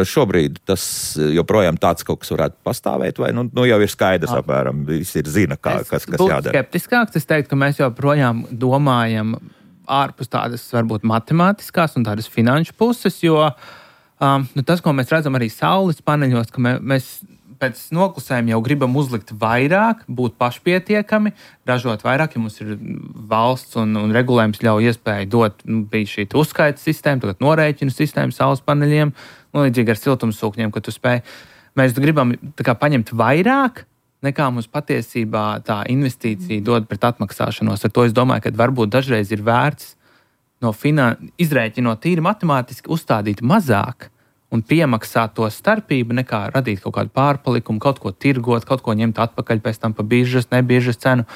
Šobrīd tas joprojām tāds kaut kas varētu pastāvēt, vai nu, nu jau ir skaidrs apmēram, visi ir zina, kā, kas, kas jādara. Skeptiskāks, es teiktu, ka mēs joprojām domājam ārpus tādas, varbūt, matemātiskās un tādas finanšu puses, jo um, nu, tas, ko mēs redzam arī saules paneļos, ka mē, mēs pēc noklusējuma jau gribam uzlikt vairāk, būt pašpietiekami, ražot vairāk, ja mums ir valsts un, un regulējums ļauj iespēju dot, nu, bija šī uzskaita sistēma, tagad norēķinu sistēma saules paneļiem, nu, līdzīgi ar siltumsūkņiem, ka tu spēj. Mēs gribam tā kā paņemt vairāk, nekā mums patiesībā tā investīcija dod pret atmaksāšanos. Ar to es domāju, ka varbūt dažreiz ir vērts no finan... izrēķinot tīri matemātiski uzstādīt mazāk, un piemaksāt to starpību, nekā radīt kaut kādu pārpalikumu, kaut ko tirgot, kaut ko ņemt atpakaļ pēc tam pa biržas, nebiežas cenu.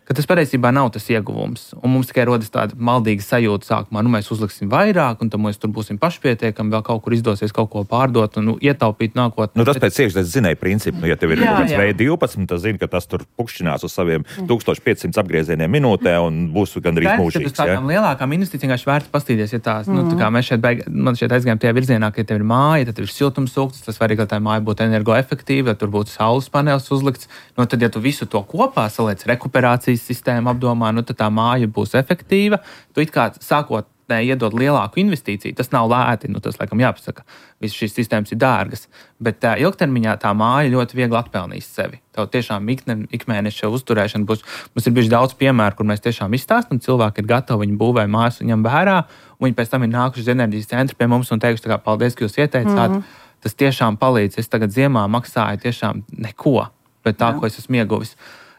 ka tas patiesībā nav tas ieguvums. Un mums tikai rodas tāda maldīga sajūta sākumā, nu mēs uzliksim vairāk, un tad mēs tur būsim pašpietiekami, vēl kaut kur izdosies kaut ko pārdot un nu, ietaupīt nākotnē. Nu, tas pēc iekšzemes zinēja principu. Nu, ja tev ir jā, kaut kāds V divpadsmit, tad zini, ka tas tur pukšķinās uz saviem tūkstoš piecsimt apgriezieniem minūtē un būs gandrīz mūžīgs. Tas tādām lielākām investīcijām vienkārši vērts pastīties, ja tās, mm. nu, tā kā mēs šeit, beig, man šeit aizgājām tajā virzienā, ka ja tev ir māja, tad tev ir siltumsūknis, tas svarīgi, lai tā māja būtu energoefektīva, ja tur būtu saules panelis uzlikts. Nu, tad, ja tu visu to kopā saliec rekuperācijas sistēmu apdomā, nu, tad tā māja būs efektīva. Tu it kā sākot ne, iedod lielāku investīciju, tas nav lēti, nu, tas, laikam, jāpasaka. Visas šīs sistēmas ir dārgas, bet tā, ilgtermiņā tā māja ļoti viegli atpelnīs sevi. Tev tiešām ikmēneša uzturēšana būs. Mums ir bijuši daudz piemēru, kur mēs tiešām izstāstam, cilvēki ir gatavi, viņi būvē mājas un ņem vērā, un viņi pēc tam ir nākuši uz enerģijas centru pie mums un teikuši, tā kā paldies, ka jūs ieteicāt. Mm-hmm. Tas tiešām palīdz. Es tagad ziemā maksāju tiešām neko, bet tā, Jā. Ko es esmu ieguvis.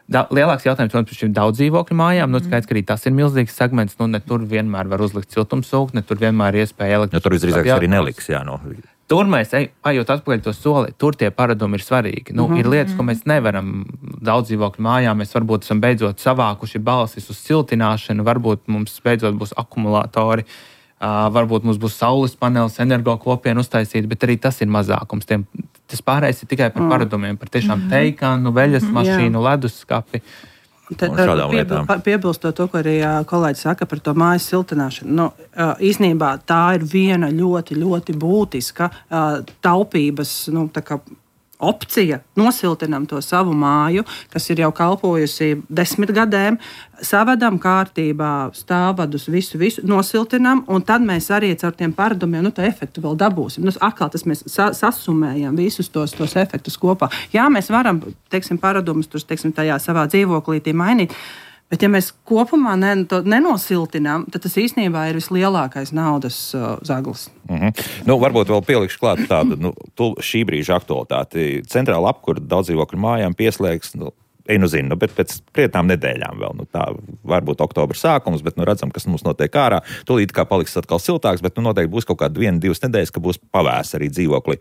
Da, lielāks jautājums, protams, par šīm daudz dzīvokļu mājām. Nu, skaidrs, ka arī tas ir milzīgs segments. Nu, ne tur vienmēr var uzlikt siltumsūkni, ne tur vienmēr ir iespēja elektrības. Ja tur visdrīzāk arī neliks, jā, no. Tur mēs, ejot atpakaļ to soli, tur tie paradumi ir svarīgi. Nu, mm-hmm. Ir lietas, ko mēs nevaram daudz dzīvokļu mājām. Mēs varbūt esam beidzot savākuši balsis uz siltināšanu, varbūt mums beidzot būs akumulātori. Uh, varbūt mums būs saules panelis, energo kopienu uztaisīt, bet arī tas ir mazākums. Tiem, tas pārējais ir tikai par mm. paradumiem, par tiešām teikānu, veļas mašīnu, leduskapi. Pie, piebilstot to, ko arī kolēģis saka par to mājas siltināšanu. Nu, īsnībā tā ir viena ļoti, ļoti būtiska taupības, nu, tā kā opcija, nosiltinam to savu māju, kas ir jau kalpojusi desmit gadiem, savedam kārtībā stāvvadus, visu, visu nosiltinam, un tad mēs arī caur tiem paradumiem, nu, tā efektu vēl dabūsim. Nu, atkal tas mēs sa- sasumējam visus tos, tos efektus kopā. Jā, mēs varam, teiksim, paradumus tur, teiksim, tajā savā dzīvoklītī mainīt, bet ja mēs kopumā ne, to nenosiltinām, tad tas īstenībā ir vislielākais naudas uh, zaglis. Mm-hmm. Nu, varbūt vēl pielikšu klāt tādu nu, šī brīža aktualitāti. Centrāla apkura daudz dzīvokļu mājām pieslēgs, nu, Einu zinu, nu, bet pēc prietām nedēļām vēl. Nu, tā varbūt oktobra sākums, bet nu, redzam, kas mums notiek ārā. Tūlīt kā paliks atkal siltāks, bet nu, noteikti būs kaut kāda viena, divas nedēļas, ka būs pavēs arī dzīvokli.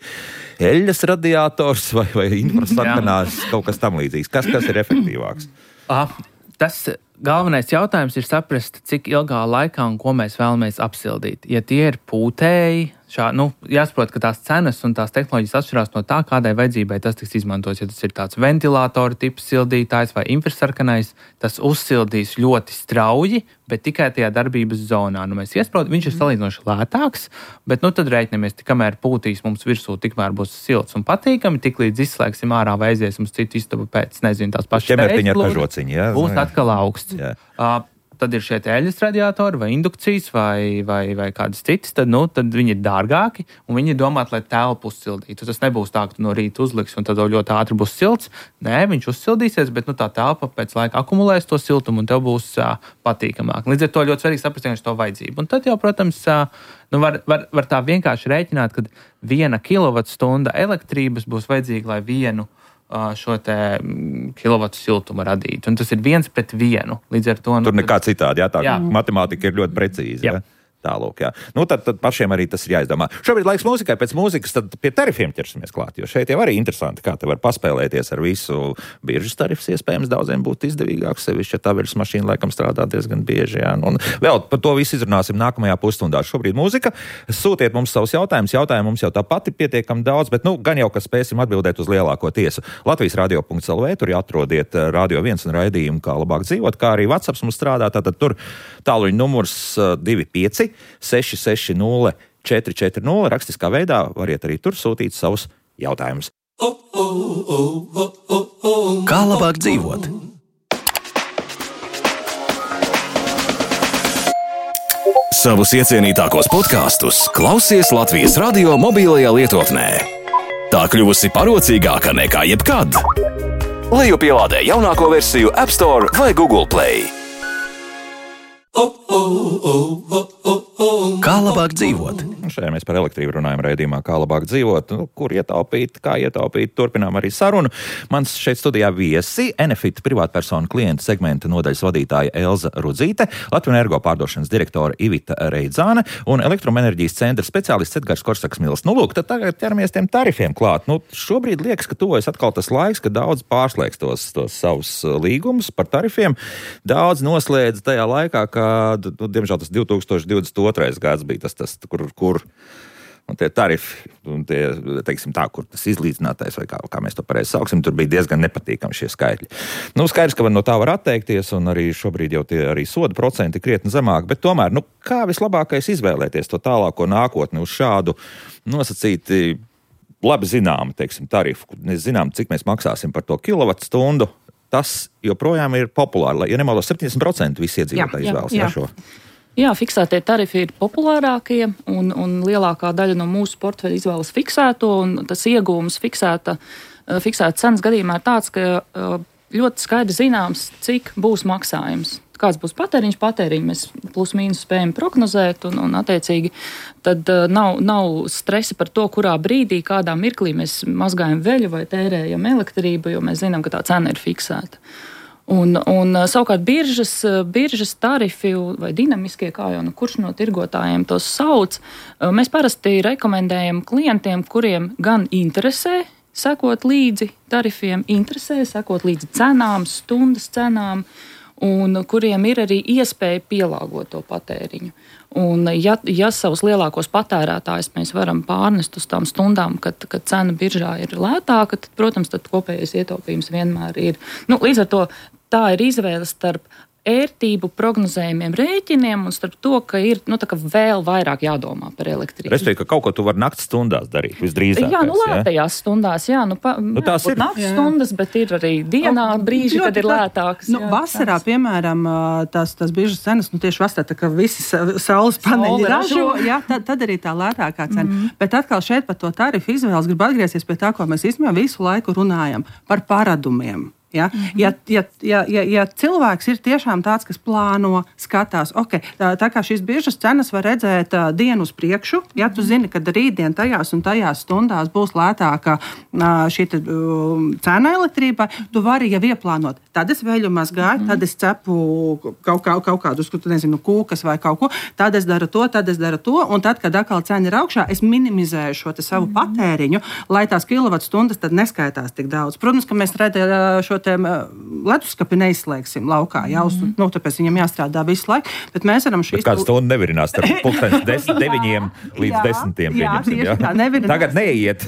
Eļļas radiators vai, vai infrasarkanās, kaut kas tam līdzīgs. Kas, kas ir efektīvāks? Ah, tas galvenais jautājums ir saprast, cik ilgā laikā un ko mēs vēlamies apsildīt. Ja tie ir pūtēji, šā, nu, jāsaprot, ka tās cenas un tās tehnoloģijas atšķirās no tā, kādai vajadzībai tas tiks izmantots. Ja tas ir tāds ventilātora tips sildītājs vai infrasarkanais, tas uzsildīs ļoti strauji, bet tikai tajā darbības zonā. Nu, mēs iesprot, viņš ir salīdzinoši lētāks, bet nu, tad reiķinamies, kamēr pūtīs mums virsū, tikmēr būs silts un patīkami, tik līdz izslēgsim ārā vai aiziesim uz citu istabu pēc, nezinu, tās pašas ķemertiņa ar kažociņu, jā? Būs atkal augsts. Uh, tad ir šie eļļas radiatori vai indukcijas vai, vai, vai kādas citas, tad, nu, tad viņi ir dārgāki un viņi ir domāti, lai telpu uzsildītu. Tas nebūs tā, ka tu no rīta uzliks un tad ļoti ātri būs silts. Nē, viņš uzsildīsies, bet nu, tā telpa pēc laika akumulēs to siltumu un tev būs uh, patīkamāk. Līdz ar to ļoti svarīgi saprast to vajadzību. Un tad jau, protams, uh, nu, var, var, var tā vienkārši rēķināt, ka viena kilovatstunda elektrības būs vajadzīga, lai vienu šo te kilovatu siltumu radīt. Un tas ir viens pret vienu. Līdz ar to... Nu, tur nekā citādi, jā, tā jā. Matemātika ir ļoti precīza. Jā. Tālūk, jā. Nu, tad, tad pašiem arī tas ir jāizdomā. Šobrīd laiks mūzikai, pēc mūzikas tad pie tarifiem ķersimies klāt, jo šeit jau arī interesanti, kā te var paspēlēties ar visu. Biržas tarifs iespējams daudziem būtu izdevīgāks, sevišķi, ja taveres mašīna laikam strādā diezgan bieži, jā. Un vēl par to visu izrunāsim nākamajā pusstundā. Šobrīd mūzika. Sūtiet mums savus jautājumus. Jautājumu mums jau tā pati pietiekam daudz, bet nu, gan jau, ka spēsim atbildēt uz lielāko tiesu. Latvijas radio punkts el vē, tur atrodiet Radio viens un raidījumu, kā labāk dzīvot, kā arī WhatsApp mums strādā. Tātad tur tāluņa numurs divi pieci seši seši nulle četri četri nulle. Rakstiskā veidā variet arī tur sūtīt savus jautājumus. Kā labāk dzīvot? Savus iecienītākos podkastus klausies Latvijas radio mobilajā lietotnē. Tā kļuvusi parocīgāka nekā jebkad. Lejupielādē jaunāko versiju App Store vai Google Play. Kā labāk dzīvot? Šajā mēs par elektrību runājam raidījumā, kā labāk dzīvot, nu, kur ietaupīt, kā ietaupīt. Turpinām arī sarunu. Mans šeit studijā viesi Enefit privātpersonu klientu segmenta nodaļas vadītāja Elza Rudzīte, Latvijas Energo pārdošanas direktore Ivita Reidzāne un elektroenerģijas centra speciālists Edgars Korsaks-Mils. Nu, lūk, tad tagad ķeramies tiem tarifiem klāt. Nu, šobrīd liekas, ka tuvojas atkal tas laiks, kad daudz pārslēgs tos, tos savus līgumus par tarifiem. Daudz noslēdz tajā laikā, kad, nu, diemžēl tas divi tūkstoši divdesmit otrais gads bija tas, tas kur, kur un tie tarifi, un tie, teiksim tā, kur tas izlīdzinātais, vai kā, kā mēs to pareizi sauksim, tur bija diezgan nepatīkami šie skaitļi. Nu, skaidrs, ka no tā var atteikties, un arī šobrīd jau tie arī soda procenti krietni zemāk, bet tomēr, nu, kā vislabākais izvēlēties to tālāko nākotni uz šādu nosacīti labi zināmu, teiksim, tarifu, mēs zinām, cik mēs maksāsim par to kilovatstundu, tas joprojām ir populāri, ja nemaldos septiņdesmit procenti visi iedzīvotāji izvēlas jā, šo. Jā, fiksētie tarifi ir populārākie, un, un lielākā daļa no mūsu portfeļa izvēlas fiksēto, un tas iegūms fiksēta, fiksēta cenas gadījumā ir tāds, ka ļoti skaidri zināms, cik būs maksājums. Kāds būs patēriņš, patēriņu mēs plus mīnus spējam prognozēt, un, un attiecīgi tad uh, nav, nav stresa par to, kurā brīdī, kādā mirklī mēs mazgājam veļu vai tērējam elektrību, jo mēs zinām, ka tā cena ir fiksēta. Un, un savukārt biržas, biržas tarifi vai dinamiskie, kā jau nu, kurš no tirgotājiem tos sauc, mēs parasti rekomendējam klientiem, kuriem gan interesē sekot līdzi tarifiem, interesē sekot līdzi cenām, stundas cenām, un kuriem ir arī iespēja pielāgot to patēriņu. Un ja, ja savus lielākos patērētājus mēs varam pārnest uz tām stundām, kad, kad cena biržā ir lētāka, tad, protams, tad kopējais ietaupījums vienmēr ir. Nu, līdz ar to tā ir izvēle starp ērtību, prognozējumiem, rēķiniem un starp to, ka ir nu, tā, ka vēl vairāk jādomā par elektrību. Respektīvi, ka kaut ko tu vari nakts stundās darīt, visdrīzākais. Jā, nu lētajās ja? stundās, jā, nu, pa, nu tās ir nakts stundas, bet ir arī dienā brīži, kad ir lētāks. Nu, jā, vasarā, tās. Piemēram, tās, tās biržas cenas, nu tieši vasarā, tā kā visi saules paneļi ražo, jā, tad, tad arī tā lētākā cena. Mm-hmm. Bet atkal šeit par to tarifu izvēles gribu atgriezties pie tā, ko mēs īstenībā visu laiku runājam par paradumiem. Ja? Mm-hmm. Ja, ja, ja, ja, ja cilvēks ir tiešām tāds, kas plāno, skatās, ok, tā, tā kā šīs biržas cenas var redzēt uh, dienu uz priekšu, ja tu zini, ka rītdien tajās un tajās stundās būs lētāka uh, šī te, uh, cena elektrībai, tu vari jau ieplānot. Tad es veļu mazgāju, mm-hmm. tad es cepu kaut, kaut, kaut kādus, nezinu, kūkas vai kaut ko, tad es daru to, tad es daru to, un tad, kad atkal cena ir augšā, es minimizēju šo te savu mm-hmm. patēriņu, lai tās kilovatstundas tad neskaitās tik daudz. Protams, ka mēs redzējām šo leduskapi neizslēgsim laukā, jā, uz, mm-hmm. nu, tāpēc viņam jāstrādā visu laiku, bet mēs varam šīs... Bet kāds stundu nevirinās starp pulkstenis deviņiem līdz desmitiem, pieņemsim, jā? jā. Tā, tagad neiet,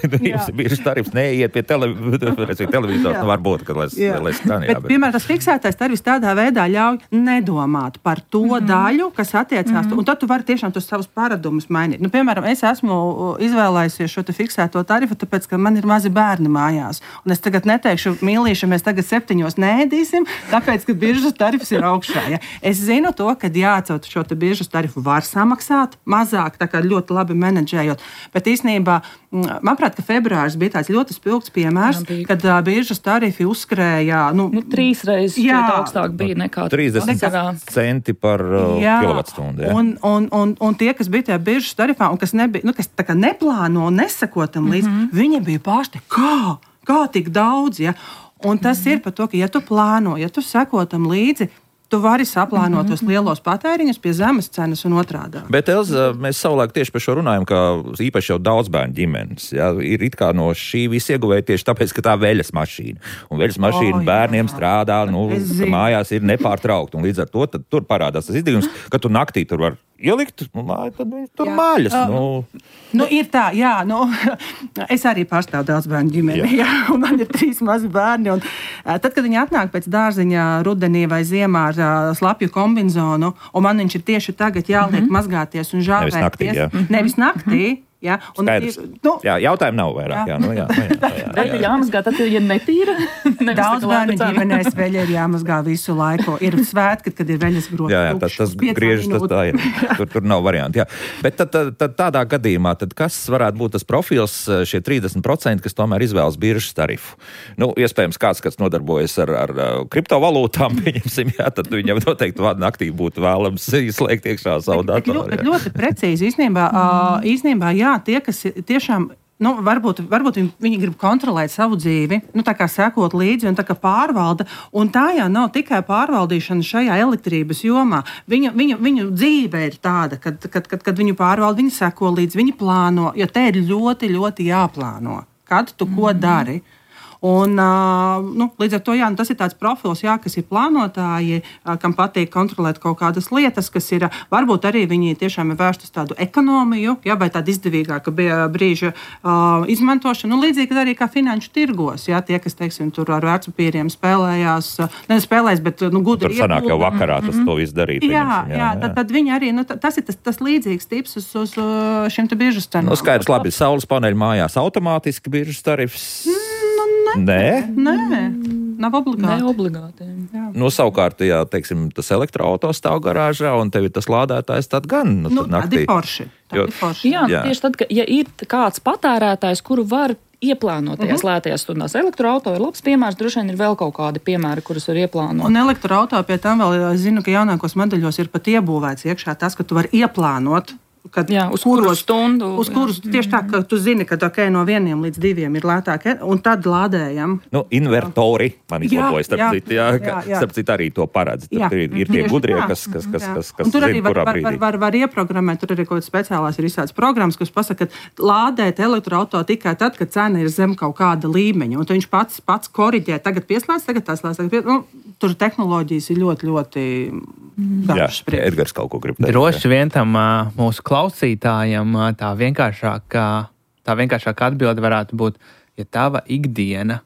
biržas tarifs neiet pie tele, televizors, nu varbūt, kad lai, lai skan, jā. Bet, bet, piemēram, tas fiksētais tarifs tādā veidā ļauj nedomāt par to mm-hmm. daļu, kas attiecās, mm-hmm. un tad tu vari tiešām tos savus paradumus mainīt. Nu, piemēram, es esmu izvēlējusies šo te fiksēto tarifu, tāpēc, ka man ir mazi bērni mājās, un es tagad neteikšu, mīlīši, mēs tagad septiņos neēdīsim, tāpēc, ka biržas tarifs ir augšā. Ja? Es zinu to, ka jāatcelt šo te biržas tarifu var samaksāt mazāk, tā kā ļoti labi menedžējot, bet īstenībā, manuprāt, ka februāris bija tāds ļoti spilgts piemērs, jā, kad uh, biržas tarifi uzskrēja, nu, nu trīs reizes augstāk bija nekā trīsdesmit centi par uh, kilovatstundu. Ja? Un, un, un, un tie, kas bija tajā biržas tarifā un kas, nebija, nu, kas tā kā neplāno un nesakotam līdz, mm-hmm. viņi bija pārsti, kā, kā tik daudz, ja? Un tas mm-hmm. ir par to, ka, ja tu plāno, ja tu seko tam līdzi, tu vari saplānot tos mm-hmm. lielos patēriņus pie zemes cenas un otrādā. Bet, Elza, mēs savulaik tieši par šo runājam, ka īpaši jau daudz bērnu ģimenes, ja, ir it kā no šī visa ieguvēja tieši tāpēc, ka tā veļas mašīna. Un veļas mašīna oh, bērniem jā. strādā, nu, mājās ir nepārtraukti. Un līdz ar to tad tur parādās tas izdevums, ka tu naktī tur var ielikt, nu, tad viņi tur jā. maļas. Nu. nu, ir tā, jā, nu, es arī pārstāvu daudz bērnu ģimeni, jā. jā, un man ir trīs mazi bērni, un tad, kad viņi atnāk pēc dārziņā rudenī vai ziemā ar uh, slapju kombinzonu, un man viņš ir tieši tagad jāliek mm-hmm. mazgāties un žāvēties. Nevis naktī, jā. Nevis naktī, Ja? Un, Skaidrs. Nu, jā, jautājumu nav vairāk. Jā, nu, jā, nu, jā, jā, jā, Vai ir jāmazgā, tad ir netīra? Daudz bērnu ģimenēs veļa ir jāmazgā visu laiku. Ir svētki, kad ir veļas grozs. Jā, jā, tas, tas griežas, tas tā ir. Tur, tur nav varianti. Jā. Bet tad, tad, tad tādā gadījumā, tad kas varētu būt tas profils, šie trīsdesmit procenti, kas tomēr izvēlas biržas tarifu? Nu, iespējams, kāds, kas nodarbojas ar, ar kriptovalūtām, pieņemsim, jā, tad viņam noteikti naktī būtu vēlams izslēgt iekšā savu datoru. Bet ļoti precīzi īstenībā, mm. īstenībā jā, tie, kas tiešām, nu, varbūt, varbūt viņi, viņi grib kontrolēt savu dzīvi, nu, tā kā sekot līdzi un tā kā pārvalda, un tā jau nav tikai pārvaldīšana šajā elektrības jomā. Viņu, viņu, viņu dzīve ir tāda, kad, kad, kad, kad viņu pārvalda, viņi seko līdzi, viņi plāno, jo te ir ļoti, ļoti jāplāno, kad tu ko dari. Un, nu, līdz ar to jā, tas ir tāds profils, jā, kas ir plānotāji, kam patīk kontrolēt kaut kādas lietas, kas ir varbūt arī viņi tiešām ir vērsti uz tādu ekonomiju, jā, vai tādu izdevīgāku brīža uh, izmantošanu. Nu, līdzīgi arī kā finanšu tirgos, jā, tie, kas, teiksim, tur ar vērtspapīriem spēlējās, ne spēlēs, bet nu, gudri iepūda. Tur sanāk jau vakarā tas mm-hmm. to viss darīt. Jā, jā, jā, jā. Tad, tad viņi arī, nu, tas ir tas, tas līdzīgs tips uz, uz šim te biržas cenām. Nu, skaidrs, labi, saules paneļi mājās automātiski biržas tarifs. Mm. Nē, Nē, nav obligāti. Ne obligāti. Nu, savukārt, ja teiksim, tas elektroautos stāv garāžā un tev ir tas lādētājs, tad gan nu, nu, tad naktī. Tādi forši. Tādi Jo, forši. Jā, jā. Tieši tad, ka, ja ir kāds patērētājs, kuru var ieplānot tajās uh-huh. lētajās stundās. Elektroauto ir labs piemērs, droši vien ir vēl kaut kādi piemēri, kurus var ieplānot. Un elektroauto pie tam vēl, es zinu, ka jaunākos modeļos ir pat iebūvēts iekšā tas, ka tu vari ieplānot. Kad, jā, uz kuru stundu. Uz kurus tieši tā, ka tu zini, ka okay, no vieniem līdz diviem ir lētāk, un tad lādējam. Nu, invertori man izlabojas, starp citu, jā, jā, jā. Starp citu arī to paredz. Tur ir, ir tie gudrie, kas, kas, kas, kas, kas tur zina, arī var, kurā var, brīdī. Var, var, var ieprogrammēt, tur arī kaut kāds speciālās ir izsāds programmas, kas pasaka, ka lādēt elektroauto tikai tad, kad cena ir zem kaut kāda līmeņa, un viņš pats, pats koriģē, tagad pieslēdz, tagad tās lēs, tagad pieslēdz. Nu, tur tehnoloģijas ir ļoti, ļoti dažas. Jā, Edgars kaut ko grib teikt. Droši vien tam mūsu klausītājiem tā vienkāršākā, tā vienkāršākā atbilde varētu būt, ja tava ikdiena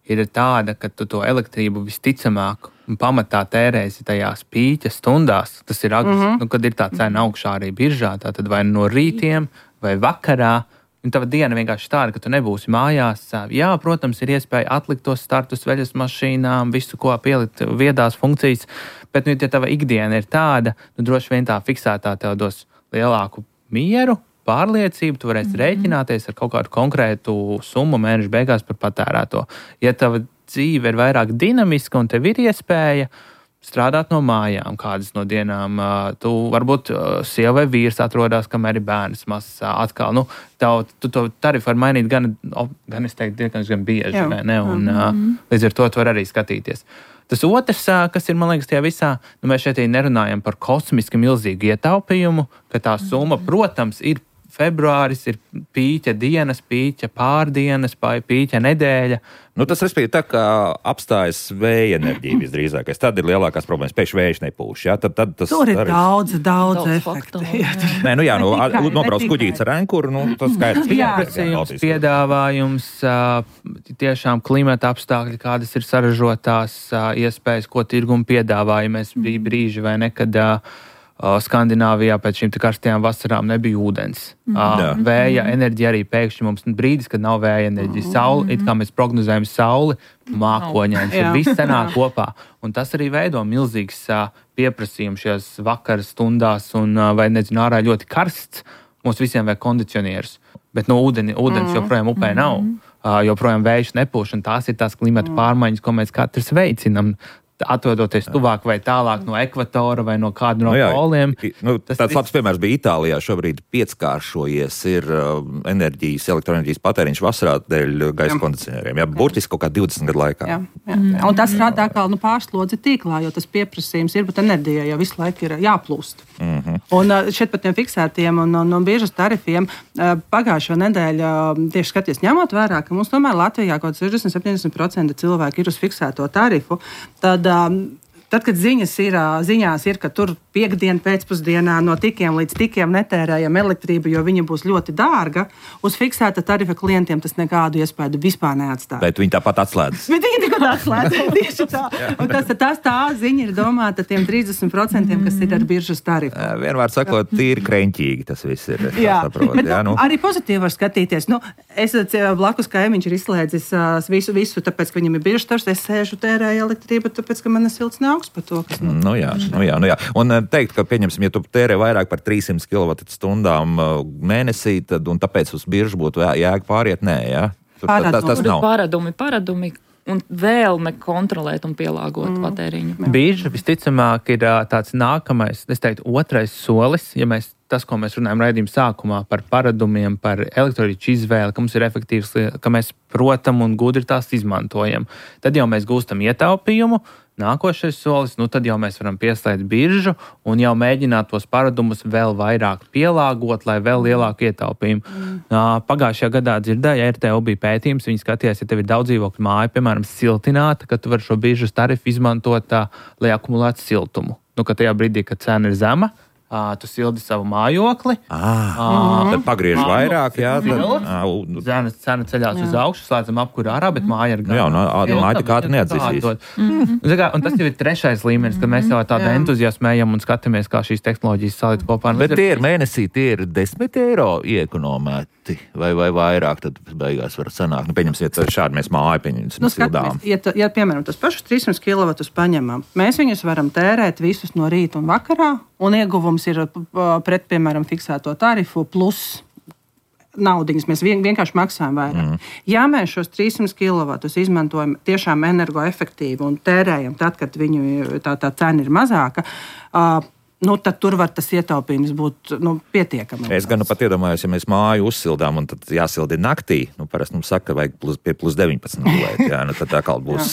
ir tāda, ka tu to elektrību visticamāk un pamatā tērēsi tajās pīķa stundās, tas ir, mm-hmm. nu, kad ir tā cena augšā arī biržā, tā tad vai no rītiem vai vakarā, un tava diena vienkārši tāda, ka tu nebūsi mājās. Jā, protams, ir iespēja atlikt tos startus veļas mašīnām, visu, ko pielikt viedās funkcijas, bet, nu, ja tava ikdiena ir tāda, nu, droši vien tā fiksētā tev dos lielāku mieru, pārliecību, tu varēsi mm-hmm. rēķināties ar kaut kādu konkrētu summu mēneša beigās par patērēto. Ja tava dzīve ir vairāk dinamiska un tev ir iespēja strādāt no mājām, kādas no dienām tu varbūt sieva vai vīrs atrodas, kamēr ir bērns mazs atkal. Nu, tev, tu to tarifu var mainīt gan, gan es teiktu, diezgan, gan bieži, vai ne? Un mm-hmm. līdz ar to tu var arī skatīties. Tas otrs, kas ir, man liekas, tajā visā, nu, mēs šeit nerunājam par kosmiski milzīgu ietaupījumu, ka tā summa, protams, ir februāris, ir pīķa dienas, pīķa pārdienas, pīķa nedēļa. Nu, tas, respektīvi, tā kā apstājas vēja enerģija visdrīzākais. Tad ir lielākās problēmas. Pēkšņi vējš nepūš. Ja? Tad, tad tas tur ir arī... daudz, daudz, daudz efektu. Nē, nu jā, nu, nobrauc kuģīts ar ankuru, nu, tas skaidrs. Pieprasījums, piedāvājums, tiešām klimata apstākļi, kādas ir saražotās iespējas, ko tirgumi piedāvāja. Mēs bija brīži vai nekad Skandināvijā pēc šīm karstajām vasarām nebija ūdens. Mm. Vēja enerģija arī pēkšņi mums brīdis, kad nav vēja enerģija. Saule, it kā mēs prognozējam sauli, mākoņains, ir viss sanāk kopā. Un tas arī veido milzīgs pieprasījums šajās vakara stundās, un vai nezinu, ārā ļoti karsts, mums visiem vajag kondicionierus. Bet no ūdeni, ūdens joprojām upē nav, joprojām vējš nepūš, un tās ir tās klimata pārmaiņas, ko mēs katrs veicinam. Atrodoties tuvāk vai tālāk no ekvatora vai no kāda no nu, jā, poliem. Nu, tāds viss... labs piemērs bija Itālijā. Šobrīd pieckāršojies ir uh, enerģijas, elektroenerģijas patēriņš vasarā dēļ gaisa jā. kondicionieriem. Jā, burtiski kaut kā divdesmit gadu laikā. Jā, jā. Jā. Un tas rada atkal nu, pārslodzi tīklā, jo tas pieprasījums ir, bet enerģija jau visu laiku ir jāplūst. Mm-hmm. Un uh, šeit par tiem fiksētiem un, un, un biežas tarifiem uh, pagājušo nedēļu uh, tieši skaties ņemot vērā, ka mums tomēr Latvijā kaut sešdesmit līdz septiņdesmit procenti cilvēki ir uz fiksēto tarifu, tad Tad, kad ziņas ir, ziņās ir, ka tur piekdienu pēcpusdienā no tikiem līdz tikiem netērējam elektrību, jo viņa būs ļoti dārga, uz fiksēta tarifa klientiem tas nekādu iespēju vispār neatstāja. Bet viņi tāpat atslēdzas. Bet viņi tikko savādāk slēdzam tieši tā. Un tas, tas tā ziņa ir domāta tiem trīsdesmit procentiem, kas ir ar biržas tarifu. Vienmēr sakot, tīri kreņķīgi tas viss ir. Jā, saprot, bet, jā, nu. Arī pozitīvi var skatīties. Nu, es blakus kaimiņš ir izslēdzis visu, visu, tāpēc, ka viņam ir biržas tarifs, es sēžu tērēju elektrību, tāpēc, ka man ir silts nāks par to, kas nu jā, nu jā, nu jā. Un teikt, ka, pieņemsim, ja tu tērē vairāk par trīssimts kilovatstundām mēnesī, tad, un tāpēc uz biržu būtu jēga pāriet, nē, jā? Tur, tā, tā, tas nav. Paradumi, paradumi. Un vēlme kontrolēt un pielāgot mm. patēriņu. Birža visticamāk ir tāds nākamais, es teiktu, otrais solis, ja mēs tas, ko mēs runājam raidījuma sākumā par paradumiem, par elektroīču izvēli, ka mums ir efektīvs, ka mēs protam un gudri tās izmantojam. Tad jau mēs gūstam ietaupījumu. Nākošais solis, nu tad jau mēs varam pieslēgt biržu un jau mēģināt tos paradumus vēl vairāk pielāgot, lai vēl lielāku ietaupījumu. Mm. Pagājušajā gadā dzirdēju, ja R T U bija pētījums, viņi skatījās, ja tev ir daudz dzīvokļu māja, piemēram, siltināta, ka tu vari šo biržas tarifu izmantot tā, lai akumulētu siltumu. Nu, ka tajā brīdī, kad cena ir zema, Uh, tu sildi savu mājokli. Ah, uh, tad pagriež uh, vairāk, jā. Cena, cena ceļās jā. Uz augšu, slēdzam apkuru ārā, bet māja ir gan. Jā, un māja tik ātri neatzīsīs. Mm-hmm. Un tas jau ir trešais līmenis, kad mēs jau tādu entuziasmējam un skatāmies, kā šīs tehnoloģijas salikt kopā. Bet tie ir mēnesī, tie ir desmit eiro iekonomēti, vai, vai vairāk, tad beigās var sanākt. Nu, pieņemsim, ja šādi mēs māju pieņemsim nu, sildām. Ja, ja, piemēram, tas pašus trīssimts kilovatus paņemam, mēs viņus varam tērēt visus no rīta un vakarā, un ieguvums ir pret, piemēram, fiksēto tarifu plus naudiņas. Mēs vien, vienkārši maksājam vairāk. Mm. Ja mēs šos trīssimts kilovatus izmantojam tiešām energoefektīvi un tērējam tad, kad viņu tā, tā cena ir mazāka, uh, nu, tad tur var tas ietaupījums būt nu, pietiekami. Es gan nu pat iedomājos, ja mēs māju uzsildām un tad jāsildi naktī, nu parasti mums saka, ka vajag plus, pie plus deviņpadsmit gulēt, jā, nu tad tā kā būs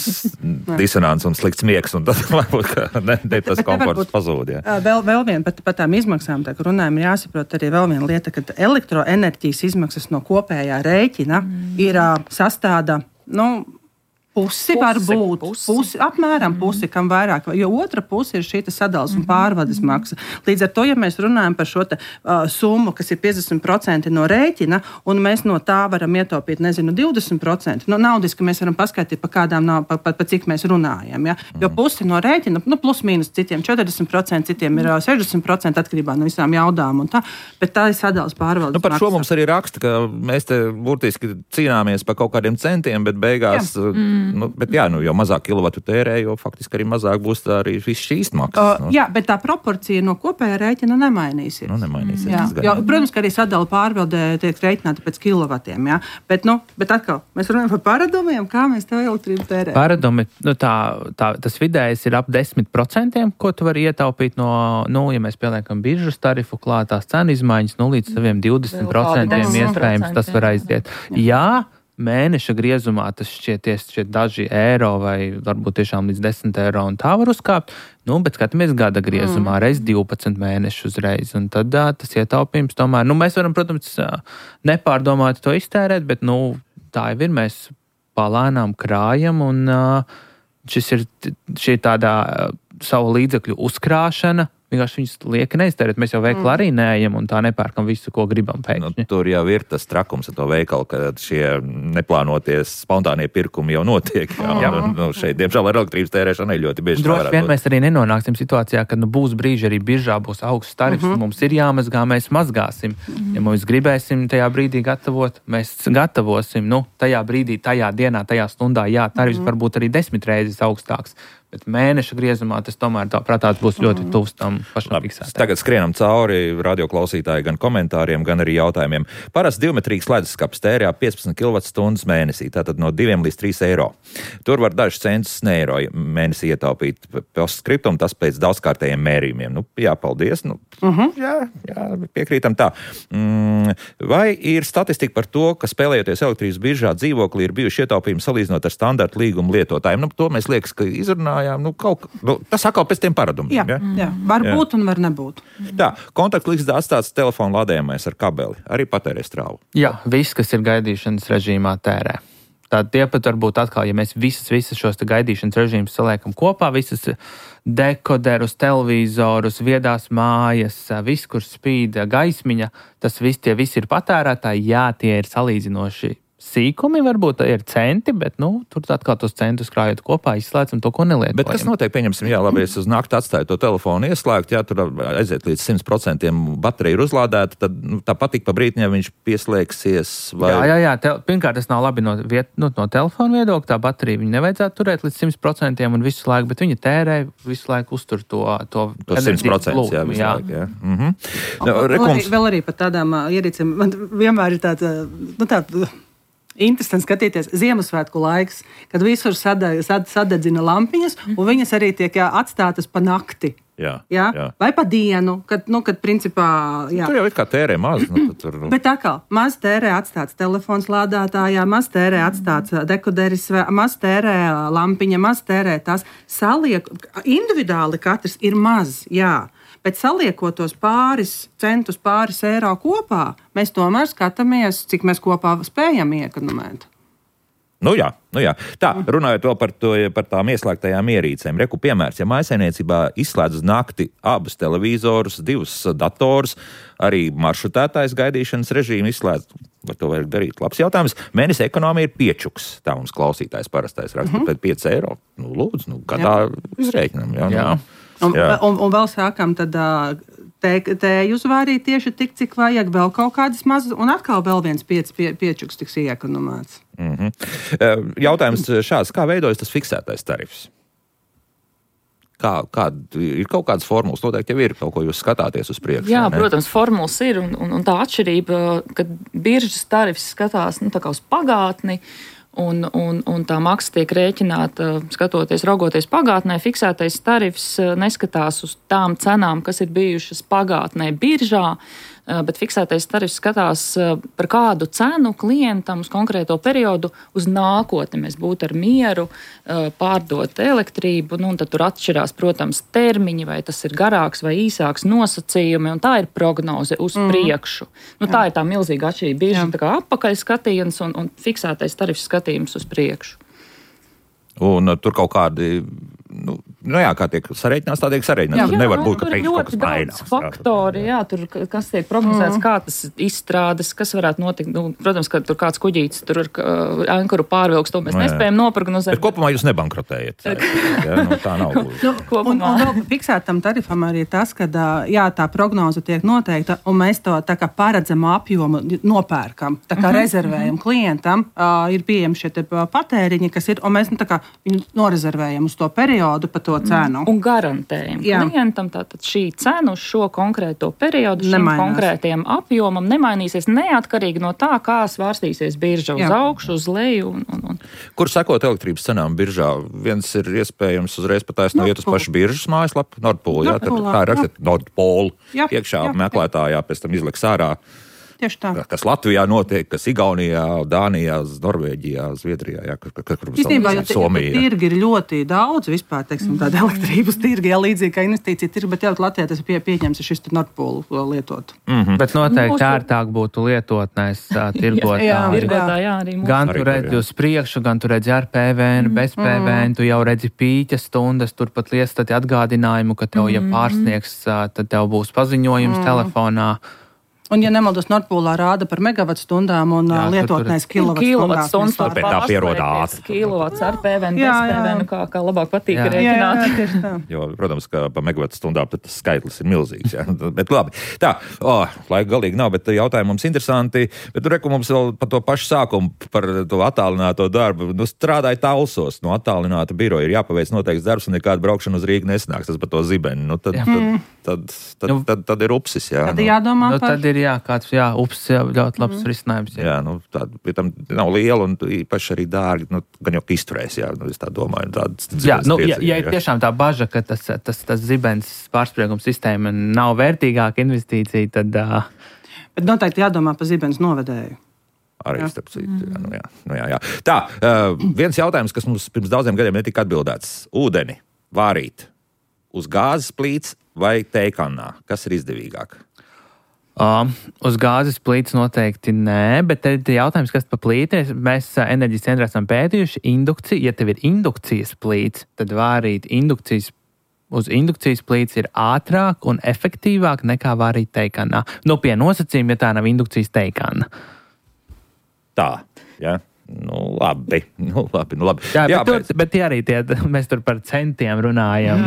disonants un slikts miegs, un tad varbūt, ka ne, ne tas komforts pazūd, jā. Vēl, vēl vien, pat, pat tām izmaksām, tā kā runājam, ir jāsaprot arī vēl viena lieta, ka elektroenerģijas izmaksas no kopējā rēķina mm. ir sastāda, nu, Pusi, pusi var būt, pusi. Pusi, apmēram pusi, kam vairāk, jo otra puse ir šī sadales un pārvades maksa. Līdz ar to, ja mēs runājam par šo te, uh, summu, kas ir piecdesmit procenti no rēķina, un mēs no tā varam ietaupīt, nezinu, divdesmit procenti, nu, naudiski mēs varam paskaidrot, pa kādām nav, pa, pa, pa cik mēs runājam, ja? Jo pusi no rēķina, nu, plus mīnus citiem četrdesmit procenti, citiem ir sešdesmit procenti atkarībā no visām jaudām un tā, bet tā ir sadales pārvaldes nu, par maksa. Šo mums arī raksta, ka mēs te burtiski cīnāmies par kaut kādiem centiem, bet beigās... Jā. Nu, bet jā, nu, jo mazāk kilovatu tērē, jo faktiski arī mazāk būs arī viss šīs maksas. Uh, jā, bet tā proporcija no kopējā rēķina nemainīsies. Nu, nemainīsies. Jā. Jo, protams, ka arī sadala pārvaldē tiek rēķināta pēc kilovatiem, jā. Bet, nu, bet atkal, mēs runājam par paradumiem, kā mēs tā elektrību tērējam. Paradumi, nu tā, tā, tas vidējais ir ap desmit procentiem, ko tu vari ietaupīt no, nu, ja mēs pieliekam biržas tarifu klāt, tās cenu izmaiņas, nu, līdz saviem divdesmit procentiem iespējams tas var aiziet. Jā, mēneša griezumā tas šķieties šķiet daži eiro vai varbūt tiešām līdz desmit eiro un tā var uzkāpt, nu, bet skatāmies gada griezumā, mm. reiz divpadsmit mēnešu uzreiz, un tad tā, tas ietaupījums tomēr, nu, mēs varam, protams, nepārdomāt to iztērēt, bet, nu, tā jau ir, mēs palēnām krājam, un šis ir, šī ir tādā savu līdzekļu uzkrāšana, vienkārši viņus lieka neiztērēt. Mēs jau veikalā arī neejam un tā nepērkam visu, ko gribam pēkšņi. Nu, tur jau ir tas trakums ar to veikalu, ka šie neplānoties spontānie pirkumi jau notiek. Jā, jā. Un, nu, šeit, diemžēl, ar elektrības tērēšanu ļoti bieži. Droši vien mēs arī nenonāksim situācijā, kad nu, būs brīži arī biržā būs augsts tarifs, mm-hmm. mums ir jāmazgā, mēs mazgāsim. Mm-hmm. Ja mēs gribēsim tajā brīdī gatavot, mēs gatavosim. Nu, tajā brīdī, tajā dienā, tajā stundā, jā, tarifs mm-hmm. varbūt arī desmit reizes augstāks. Bet mēneša griezumā tas tomēr tā prātāt būs ļoti tuvs tam pašam fiksētājam. Tagad skrienam cauri radioklausītāji gan komentāriem, gan arī jautājumiem. Parasti divmetrīgs leduskapis tērē piecpadsmit kilovatstundas mēnesī, tātad no diviem līdz trīs eiro. Tur var dažus centus ne eiro mēnesī ietaupīt postskriptum, tas pēc daudzkārtējiem mērījumiem. Nu, jā, paldies. Nu, uh-huh. jā, jā, piekrītam tā. Mm, vai ir statistika par to, ka spēlējoties elektrības biržā dzīvoklī ir bijuši ietaupījumi salīdzinot ar standarta līguma lietotājiem? Nu, to mēs liekas, ka izrunājām. Nu, kaut, nu, tas atkal pēc tiem paradumiem. Jā, ja? jā. Var jā. būt un var nebūt. Tā, kontaktlīgsta atstāts telefonu lādējumais ar kabeli. Arī patērē strāvu. Jā, viss, kas ir gaidīšanas režīmā, tērē. Tātad tie pat varbūt atkal, ja mēs visas, visas šos gaidīšanas režīmus saliekam kopā, visas dekoderus, televizorus, viedās mājas, viss, kur spīd gaismiņa, tas viss, tie visi ir patērētāji, jā, tie ir salīdzinoši sīkumi, varbūt ir centi, bet nu, tur atkal tos centus krājot kopā, izslēdz un to, ko nelietojam. Bet kas notiek, pieņemsim, jā, labi, es uz nakti atstāju to telefonu ieslēgt, jā, tur aiziet līdz simt procentiem baterija ir uzlādēta, tad nu, tāpat tik pa brītiņā viņš pieslēgsies. Vai... Jā, jā, jā. Te, pirmkārt, tas nav labi no, viet, nu, no telefona viedokļa, tā baterija viņa nevajadzētu turēt līdz simt procentiem un visu laiku, bet viņa tērē visu laiku uztur to, to, to simt procenti, jā, visu jā. laiku, jā. Mhm. No, rekums... Vēl arī par tādām uh, ierīcēm, man vienmēr ir tāds, uh, nu tā, interesanti skatīties Ziemassvētku laiks, kad visur sadeg, sad, sadedzina lampiņas, un viņas arī tiek jā, atstātas pa nakti. Jā, jā? Jā. Vai pa dienu, kad, nu, kad principā... Jā. Tur jau ir kā tērē maz. Nu, tur... Bet atkal, maz tērē atstāts telefons lādētājā, maz tērē atstāts dekoderis, maz tērē lampiņa, maz tērē tās. Saliek, individuāli katrs ir maz, jā. Bet saliekot tos pāris centus, pāris eiro kopā, mēs tomēr skatāmies, cik mēs kopā spējam iekonomēt. Nu jā, nu jā. Tā, runājot vēl par, to, par tām ieslēgtajām ierīcēm. Reku piemērs, ja mājsaimniecībā izslēdz uz nakti abus televizorus, divus datorus, arī maršrutētājs gaidīšanas režīmu izslēdz, var to vajag darīt. Labs jautājums. Mēnesi ekonomija ir piečuks, tā mums klausītājs parastais raksta, mm-hmm. pēc pieci eiro. Nu, lūdzu, nu, gadā izrēķinam. Jā, jā. Un, un, un vēl sākam tad tēju uzvārīt tieši tik, cik vajag, vēl kaut kādas mazas, un atkal vēl viens piec, pie, piečuks tiks iekonomēts. Mm-hmm. Jautājums šāds, kā veidojas tas fiksētais tarifs? Kā, kā, ir kaut kādas formulas, noteikti jau ir kaut ko jūs skatāties uz priekšu. Jā, ne? Protams, formulas ir, un, un, un tā atšķirība, kad biržas tarifs skatās nu, tā kā uz pagātni, Un, un, un tā maksa tiek rēķināta, skatoties, raugoties pagātnē. Fiksētais tarifs neskatās uz tām cenām, kas ir bijušas pagātnē biržā, bet fiksētais tarifs skatās par kādu cenu klientam uz konkrēto periodu uz nākotni. Mēs būtu ar mieru pārdot elektrību, nu, un tad tur atšķirās, protams, termiņi, vai tas ir garāks vai īsāks nosacījumi, un tā ir prognoze uz mm. priekšu. Nu, tā ir tā milzīga atšķirība. Bieži tā kā apakaļ skatījums un, un fiksētais tarifs skatījums uz priekšu. Un uh, tur kaut kādi, nu, nu jā, kā tiek sareiķināts, tā tiek sareiķināts. Jā, tur nevar nu, būt, ka teiks kaut kas mainās. Faktori, jā, tur kas tiek prognozēts, mm. kā tas izstrādes, kas varētu notikt. Nu, protams, ka tur kāds kuģītis tur ar uh, ankuru pārvilks, to mēs no, nespējam noprognozēt. Bet kopumā jūs nebankrotējat. Jā, nu, tā nav. nu, un, un vēl fiksētam tarifam arī tas, ka jā, tā prognoze tiek noteikta, un mēs to tā kā paredzamo apjomu nopērkam, tā kā mm-hmm. rezervējam klientam, uh, ir pieejami šie patēriņi, kas ir, un mēs nu, tā kā viņu norezervējam uz to periodu pa to cenu. Un garantējam Jā. klientam, tātad šī cena uz šo konkrēto periodu, šim Nemainās. konkrētajam apjomam nemainīsies neatkarīgi no tā, kā svārstīsies birža uz Jā. augšu, uz leju. Un, un, un. Kur sekot elektrības cenām biržā? Viens ir iespējams uzreiz pataisno iet uz pašu biržas mājaslapu, Nordpool, jā, tad tā ir rakstīt Nordpool, iekšā jā, meklētājā, pēc tam izliks ārā. Tieši tā. Kas Latvijā notiek, kas Igaunijā, Dānijā, Norvēģijā, Zviedrijā, jā, kur, kur, kur Īstenībā, jo Somijā. Tirgi ir ļoti daudz vispār, teiksim, tāda elektrības tirgi, jā, līdzīgi kā investīcija tirgi, bet jau Latvijā tas pie, pieņems šis Nordpool lietot. Mm-hmm. Bet noteikti ērtāk būtu lietotnēs tirgot. jā, tirgotā, jā, arī mūsu. Gan tu redzi uz priekšu, gan tu redzi ar P V N, mm. bez P V N, tu jau redzi pīķa stundas, turpat liestati atgādinājumu, ka tev, ja pārsniegs, tad tev būs paziņojums mm. telefonā. Un, ja nemaldos, Nordpolā rāda par megavatstundām un jā, lietotnēs kilovatstundās. Tāpēc tā pierodā ātri. Kilovats ar P V N, bez P V N, kā, kā labāk patīk jā. rēķināt. Jā, tieši tā. Jo, protams, ka pa megavatstundām tas skaitlis ir milzīgs. Jā. Bet labi. Tā, oh, laika galīgi nav, bet jautājumi mums interesanti. Bet tur reku mums vēl par to pašu sākumu, par to attālināto darbu. Nu, strādāja Talsos, no attālināta biroja ir jāpaveic noteikts darbs un nekāda braukšana uz Rīgu nesnāks. Tas par to zibeni. Nu, tad, tad, tad, tad, tad, tad, tad ir upsis. Jā, tad jādomā nu, par... Ir, jā, kāds, jā, upsis jau ļoti labs mm. risinājums. Jā, jā nu, tāda, pie tam nav liela un īpaši arī dārgi, nu, gan jau izturēs, jā, nu, es tā domāju. Tāds, jā, nu, ja, ja ir tiešām tā baža, ka tas, tas, tas zibens pārspriegums sistēma nav vērtīgāka investīcija, tad... Uh... Bet noteikti jādomā par zibens novedēju. Arī starp citu, jā, nu jā, nu jā, jā. Tā, uh, viens jautājums, kas mums pirms daudziem gadiem netika atbildēts. Ūdeni vārīt uz gāzes plīts vai tejkannā? Kas ir izdevīgāk? Um, uz gāzes plīts noteikti nē, bet tad jautājums, kas pa plīti, mēs enerģijas centrā esam pētījuši indukciju. Ja tev ir indukcijas plīts, tad vārīt indukcijas uz indukcijas plīts ir ātrāk un efektīvāk nekā vārīt tejkannā. Nu, pie nosacījuma, ja tā nav indukcijas tejkanna. Tā. Ja? Nu, labi. Nu, labi, nu, labi. Jā, jā, bet, tur, bet tie arī tie, mēs tur par centiem runājam.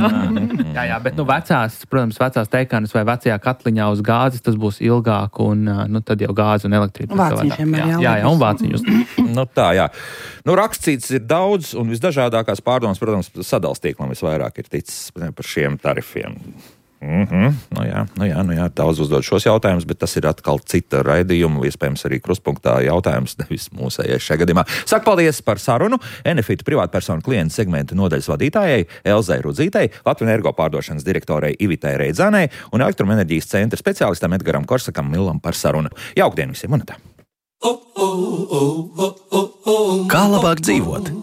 jā, jā, bet nu, vecās, protams, vecās teikanas vai vecajā katliņā uz gāzes tas būs ilgāk, un nu, tad jau gāze un elektrība. Vāciņiem ir jā, jā, jā, un vāciņus. nu, tā, jā. Nu, rakstīts ir daudz, un visdažādākās pārdomas, protams, sadalstīklam visvairāk ir ticis par šiem tarifiem. Mm-hmm. Nu jā, nu jā, nu jā, daudz uzdod šos jautājumus, bet tas ir atkal cita raidījuma, iespējams arī kruspunktā jautājums, nevis mūsējais šajā gadījumā. Saku paldies par sarunu Enefit privātpersonu klientu segmentu nodaļas vadītājai Elzai Rudzītei, Latvijas energo pārdošanas direktorei Ivitai Reidzānei un elektroenerģijas centra speciālistam Edgaram Korsakam Millam par sarunu. Jaukdien visiem, un tā! Kā labāk dzīvot?